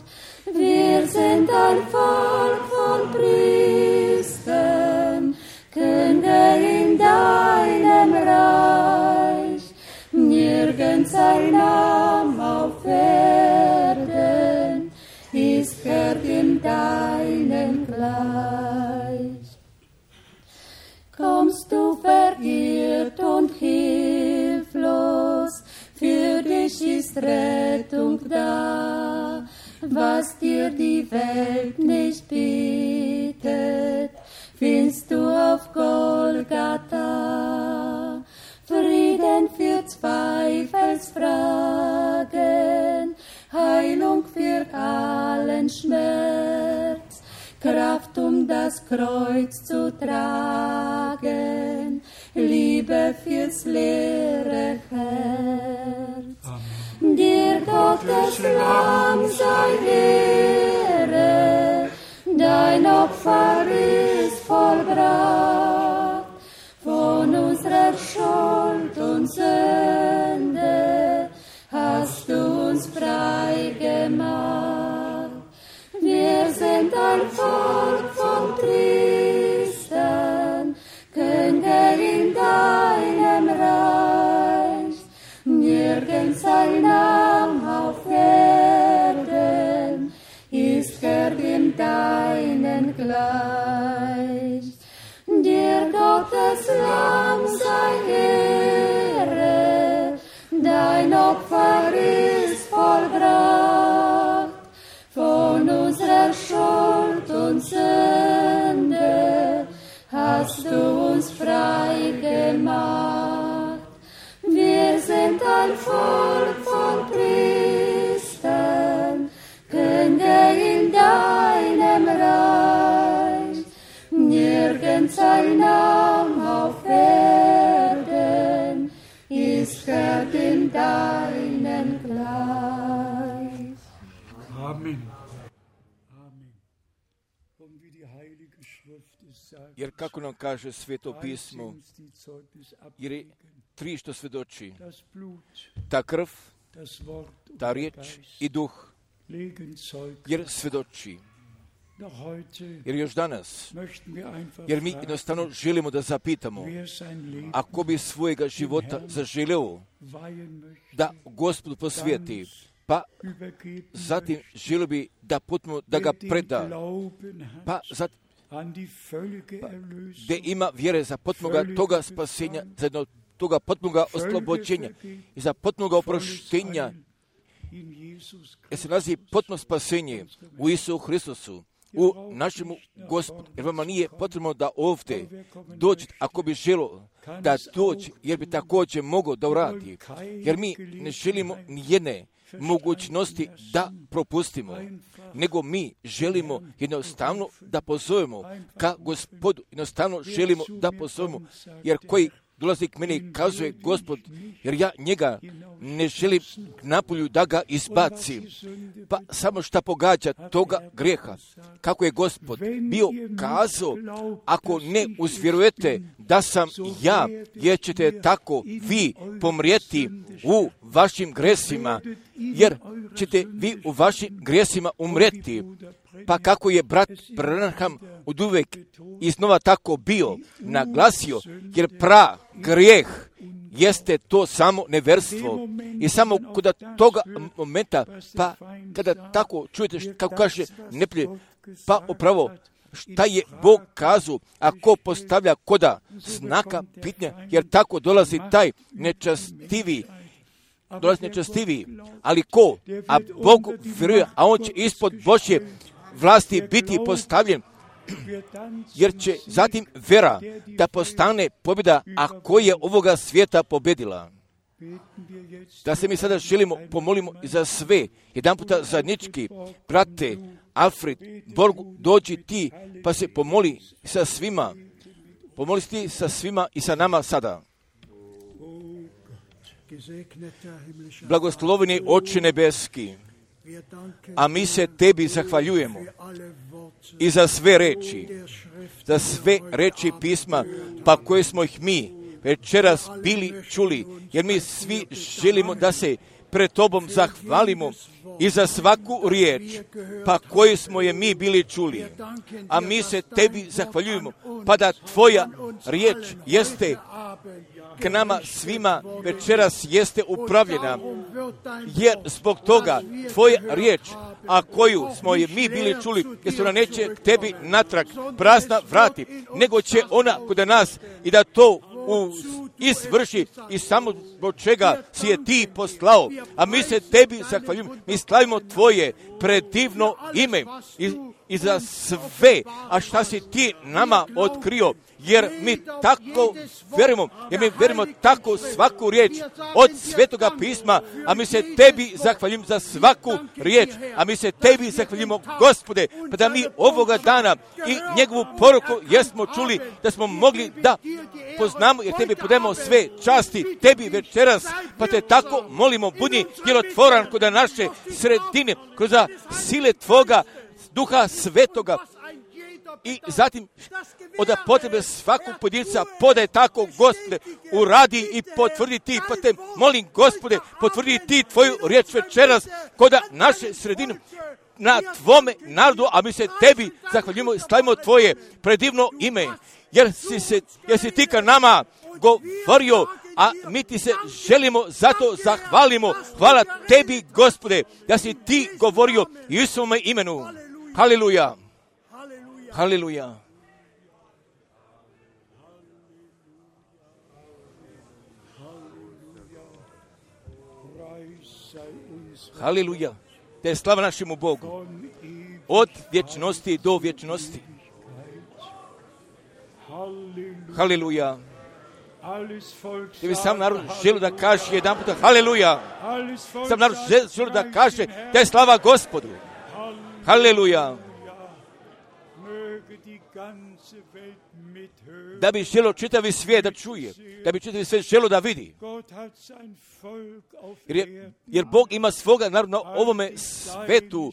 Speaker 2: Wir sind ein Volk von Priestern, Könige in deinem Reich. Nirgends ein Name auf Erden ist wert in deinem gleich. Kommst du verirrt und hilflos, für dich ist Rettung da. Was dir die Welt nicht bietet, findest du auf Golgatha. Frieden für Zweifelsfragen, Heilung für allen Schmerz, Kraft, um das Kreuz zu tragen, Liebe fürs leere Herz. Amen. Dir Gottes Lamm sei Ehre, dein Opfer ist vollbracht, von unserer Schuld und Sünde hast du uns frei gemacht. Wir sind ein Volk von Priestern, Könige in deinem Reich. Nirgends ein Name auf Erden ist wert in deinen gleich. Dir Gottes Lamm sei Ehre, dein Opfer ist vollbracht, von unserer Schuld und Sünde hast du uns frei gemacht. Wir sind ein Volk von Priestern, Könige in deinem Reich. Nirgends ein Name auf Erden ist wert in deinen gleich.
Speaker 3: Amen.
Speaker 1: Jer kako nam kaže Sveto pismo, jer je tri što svjedoči, ta krv, ta riječ i duh, jer svjedoči. Jer još danas, jer mi jednostavno želimo da zapitamo, ako bi svojega života zaželeo da Gospodu posvijeti, pa zatim želio bi da potpuno da ga preda, pa zatim pa, gdje ima vjere za potpunoga toga spasenja, za jedno toga potpunoga oslobođenja i za potpunoga oproštenja, jer se nalazi potpuno spasenje u Isusu Hristusu, u našemu Gospodu, jer vama nije potrebno da ovdje dođete, ako bi želo da dođe, jer bi također mogao da uradi, jer mi ne želimo nijedne mogućnosti da propustimo, nego mi želimo jednostavno da pozovemo ka Gospodu, jednostavno želimo da pozovemo, jer koji dolazi k meni, kazuje Gospod, jer ja njega ne želim napolju da ga izbacim. Pa samo šta pogađa toga grijeha. Kako je Gospod bio kazao, ako ne uzvjerujete da sam ja, jer ćete tako vi pomrijeti u vašim gresima, jer ćete vi u vašim grijesima umrijeti. Pa kako je brat Branham oduvek iznova tako bio naglasio, jer pra grijeh jeste to samo neverstvo. I samo kod toga momenta, pa kada tako čujete kako kaže neplje, pa upravo šta je Bog kazao, ako postavlja koda znaka pitanja, jer tako dolazi taj nečastivi, dolazi nečastivi, ali ko, a Bog vjeruje, a on će ispod Božje vlasti biti postavljen, jer će zatim vera da postane pobjeda, a ko je ovoga svijeta pobjedila. Da se mi sada želimo, pomolimo za sve, jedan puta zajednički, brate, Alfred, Borgu, dođi ti, pa se pomoli sa svima, pomoli ti sa svima i sa nama sada. Blagosloveni Oče nebeski, a mi se tebi zahvaljujemo i za sve reči, za sve reči pisma, pa koje smo ih mi večeras bili čuli, jer mi svi želimo da se pred tobom zahvalimo i za svaku riječ, pa koju smo je mi bili čuli. A mi se tebi zahvaljujemo, pa da tvoja riječ jeste k nama svima večeras jeste upravljena, jer zbog toga tvoja riječ, a koju smo je mi bili čuli, jer se ona neće k tebi natrag prazna vrati, nego će ona kod nas i da to u, izvrši i samo zbog čega si je ti poslao. A mi se tebi zahvaljujemo, mi slavimo tvoje predivno ime i, i za sve, a šta si ti nama otkrio, jer mi tako verimo, jer mi verimo tako svaku riječ od Svetoga pisma, a mi se tebi zahvaljujemo za svaku riječ, a mi se tebi zahvaljujemo, Gospode, pa da mi ovoga dana i njegovu poruku jesmo čuli, da smo mogli da poznamo, jer tebi podajemo sve časti, tebi večeras, pa te tako molimo, budi djelotvoran kod naše sredine, kroz sile tvoga Duha Svetoga. I zatim od potrebe svakog pojedinca podaj tako, Gospode, uradi i potvrdi ti, pa te molim, Gospode, potvrdi ti tvoju riječ večeras kod naše sredine na tvome narodu, a mi se tebi zahvaljujemo i slavimo tvoje predivno ime, jer si, se, jer si ti ka nama govorio, a mi ti se želimo, zato zahvalimo. Hvala tebi, Gospode, da si ti govorio i u svome imenu. Haleluja. Haleluja. Haleluja. Te je slava našemu Bogu. Od vječnosti do vječnosti. Haleluja. Te bi sam narod želio da kaže jedan puta haleluja. Sam narod želio da kaže da je slava Gospodu. Haleluja. Da bi želio čitavi svijet da čuje, da bi čitavi svijet želio da vidi. Jer, je, jer Bog ima svoga naroda na ovome svetu,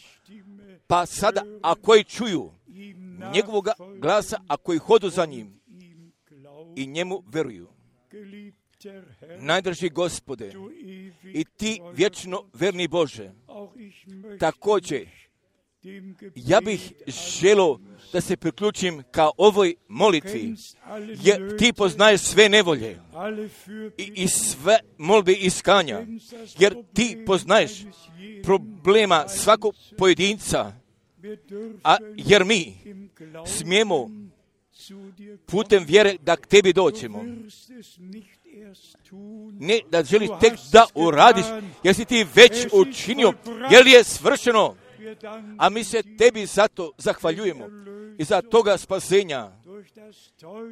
Speaker 1: pa sada, a koji čuju njegovog glasa, a koji hodu za njim i njemu veruju. Najdraži Gospode, i ti vječno verni Bože, također, ja bih želio da se priključim ka ovoj molitvi, jer ti poznaješ sve nevolje i, i sve molbe iskanja, jer ti poznaješ problema svakog pojedinca, a jer mi smijemo putem vjere da k tebi doćemo. Ne da želiš tek da uradiš, jer si ti već učinio, jer je svršeno. A mi se tebi zato zahvaljujemo i za toga spasenja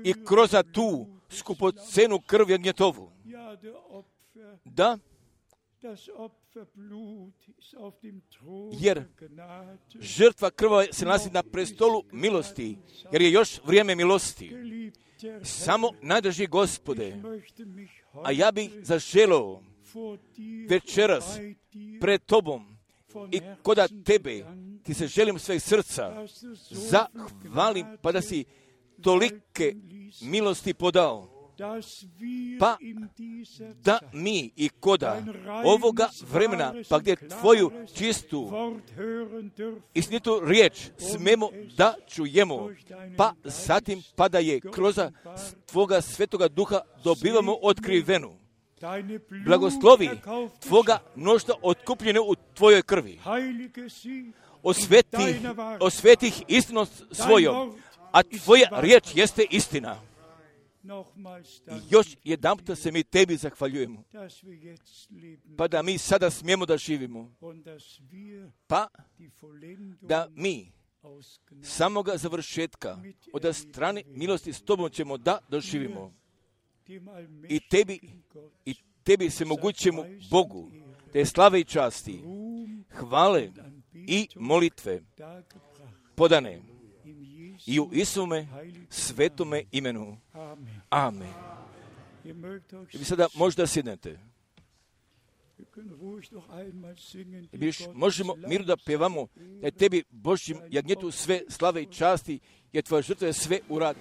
Speaker 1: i kroz tu skupocenu krv jagnjetovu. Da, jer žrtva krva se nalazi na prestolu milosti, jer je još vrijeme milosti. samo najdrži Gospode, a ja bih zaželeo večeras pred Tobom i koda Tebe, ti se želim sveg srca, zahvalim pa da si tolike milosti podao, pa da mi i koda ovoga vremena, pa gdje Tvoju čistu istinitu riječ smemo da čujemo, pa zatim pa da je kroz Tvoga Svetoga Duha dobivamo otkrivenu. Blagoslovi Tvoga mnoštva otkupljene u Tvojoj krvi. Osveti, osveti ih istinom svojom, a Tvoja riječ jeste istina. I još jedanputa se mi Tebi zahvaljujemo, pa da mi sada smijemo da živimo, pa da mi samoga završetka od strane milosti s Tobom ćemo da doživimo. I Tebi, i Tebi se mogućemo Bogu, te slave i časti, hvale i molitve podane i u Isume svetome imenu. Amen. I vi sada možda sjednete. I vi možemo miru da pjevamo da je Tebi Božjim jagnjetu sve slave i časti, jer Tvoja žrtva je sve uradi.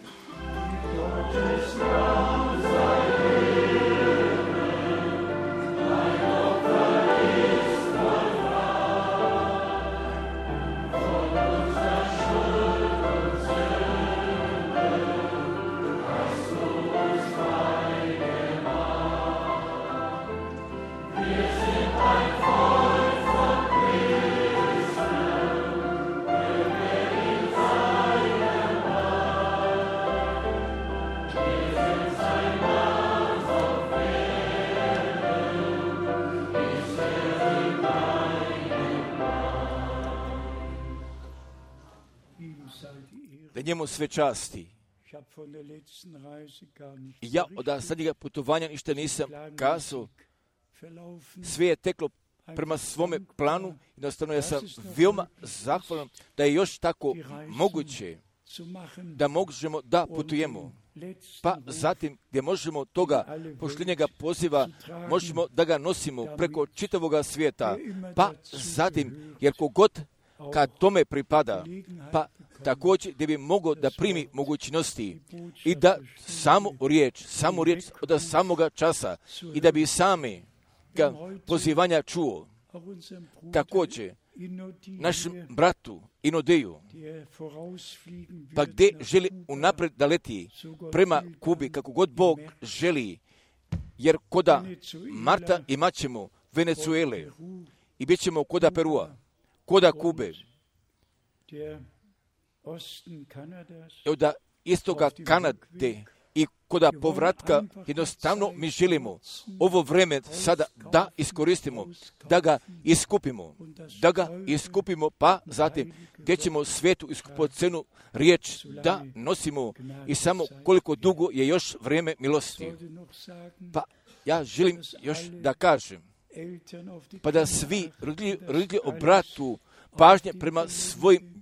Speaker 1: Da njemu sve časti. Ja od zadnjega putovanja ništa nisam kazao. Sve je teklo prema svome planu i jednostavno ja sam veoma zahvalan da je još tako moguće da možemo da putujemo. Pa zatim gdje možemo toga pošljenjega poziva, možemo da ga nosimo preko čitavoga svijeta. Pa zatim, jer kogod kad tome pripada, pa također gdje bi mogao da primi mogućnosti i da samu riječ, samu riječ od samoga časa i da bi sami ga pozivanja čuo. Također, našem bratu Inodeju, pa gdje želi unaprijed da leti prema Kubi, kako god Bog želi, jer koda Marta imat ćemo Venezuele i bit ćemo koda Perua, koda Kube, od istoga Kanade i koda povratka, jednostavno mi želimo ovo vreme sada da iskoristimo, da ga iskupimo, da ga iskupimo, pa zatim gdje ćemo svetu iskupocenu riječ da nosimo i samo koliko dugo je još vrijeme milosti. Pa ja želim još da kažem, pa da svi roditelji, roditelji obratu pažnje prema svojim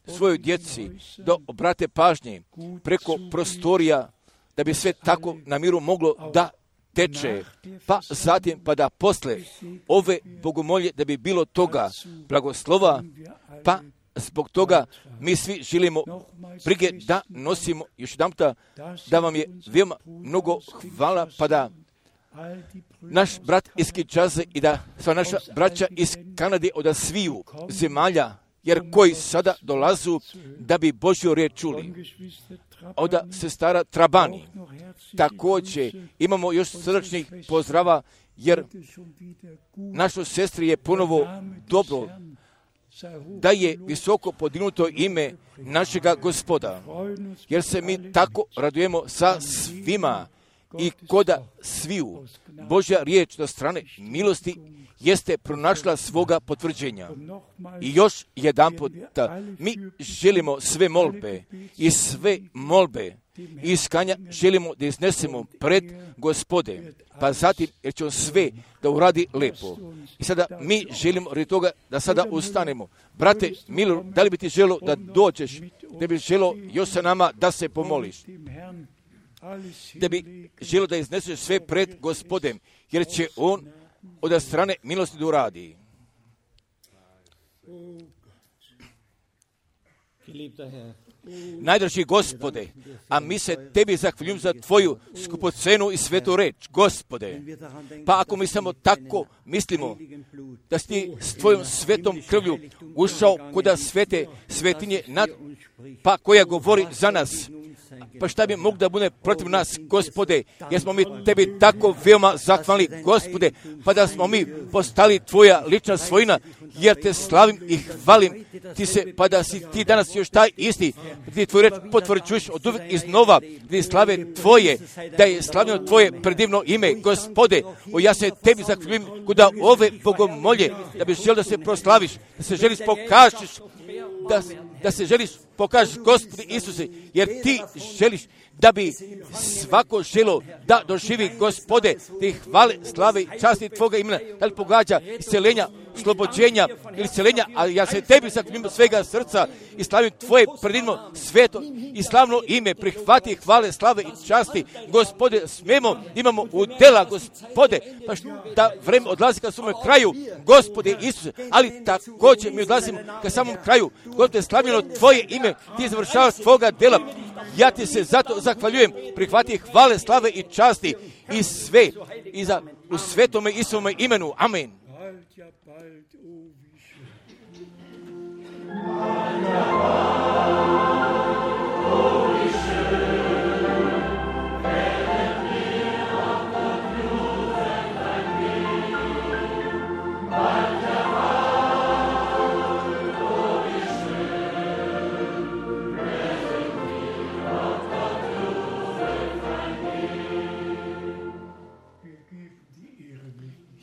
Speaker 1: svojoj djeci, da obrate pažnje preko prostorija, da bi sve tako na miru moglo da teče, pa zatim pa da posle ove bogomolje da bi bilo toga blagoslova, pa zbog toga mi svi želimo brige da nosimo. Još jedan puta da vam je veoma mnogo hvala, pa da naš brat iz Kinshase i da sva naša braća iz Kanade od sviju zemalja, jer koji sada dolazu da bi Božju riječ čuli. Od sestara Trabani. Također imamo još srdačnih pozdrava, jer našoj sestri je ponovo dobro da je visoko podignuto ime našega Gospoda, jer se mi tako radujemo sa svima i koda sviju. Božja riječ do strane milosti jeste pronašla svoga potvrđenja. I još jedan put, mi želimo sve molbe i sve molbe i iskanja želimo da iznesemo pred Gospode, pa zatim jer će on sve da uradi lepo. I sada mi želimo radi toga da sada ustanemo. Brate Milor, da li bi ti želo da dođeš, da bi želo još sa nama da se pomoliš? da bi želio da izneseš sve pred Gospodem, jer će On od strane milosti da uradi. Najdraži Gospode, a mi se Tebi zahvaljujemo za Tvoju skupocenu i svetu reč, Gospode. Pa ako mi samo tako mislimo da si Ti s Tvojom svetom krvlju ušao kuda svete svetinje, nad, pa koja govori za nas, pa šta bi moglo da bude protiv nas, Gospode, jer smo mi Tebi tako veoma zahvalni, Gospode, pa da smo mi postali Tvoja lična svojina, jer Te slavim i hvalim Ti se, pa da si Ti danas još taj isti, Ti Tvoju reč potvrđuješ od uvijek iznova, Ti slave Tvoje, da je slavljeno Tvoje predivno ime, Gospode, o ja se Tebi zahvaljujem kuda ove bogomolje, da bi želio da se proslaviš, da se želiš pokažeš, da, da se želiš pokažeš, Gospodi Isuse, jer Ti želiš da bi svako želo da doživi, Gospode, Ti hvale, slave i časti Tvoga imena, da li pogađa isceljenja, slobođenja ili isceljenja, a ja se Tebi zahvaljujem svega srca i slavim Tvoje predivno sveto i slavno ime, prihvati hvale, slave i časti, Gospode, smemo, imamo udjela, Gospode, pa da vreme odlazi ka svome kraju, Gospode Isuse, ali također mi odlazimo ka samom kraju, Gospode, slavljeno Tvoje ime, Ti završavaš Tvoga dela, ja Ti se zato zahvaljujem, prihvati hvale, slave i časti i sve, i za u svetome Isusovome imenu, amen.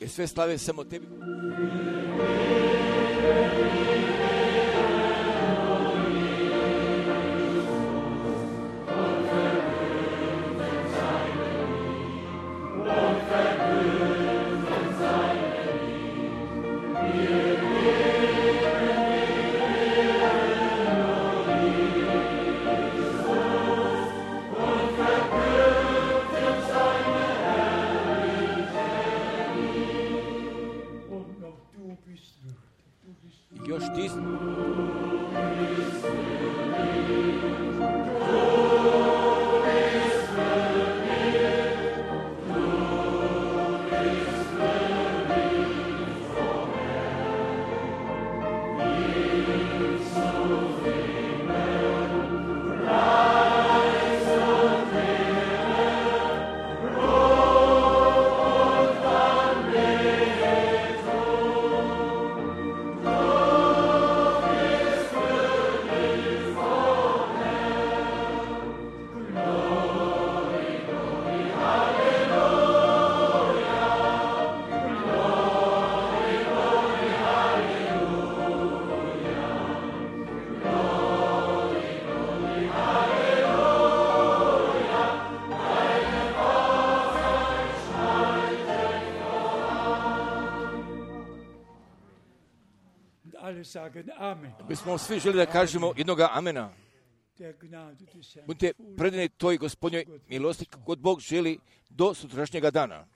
Speaker 1: Jer sve slave samo Tebi. Još ti bismo svi želi da kažemo jednoga amena. Budite predani toj Gospodnjoj milosti, kod Bog želi do sutrašnjega dana.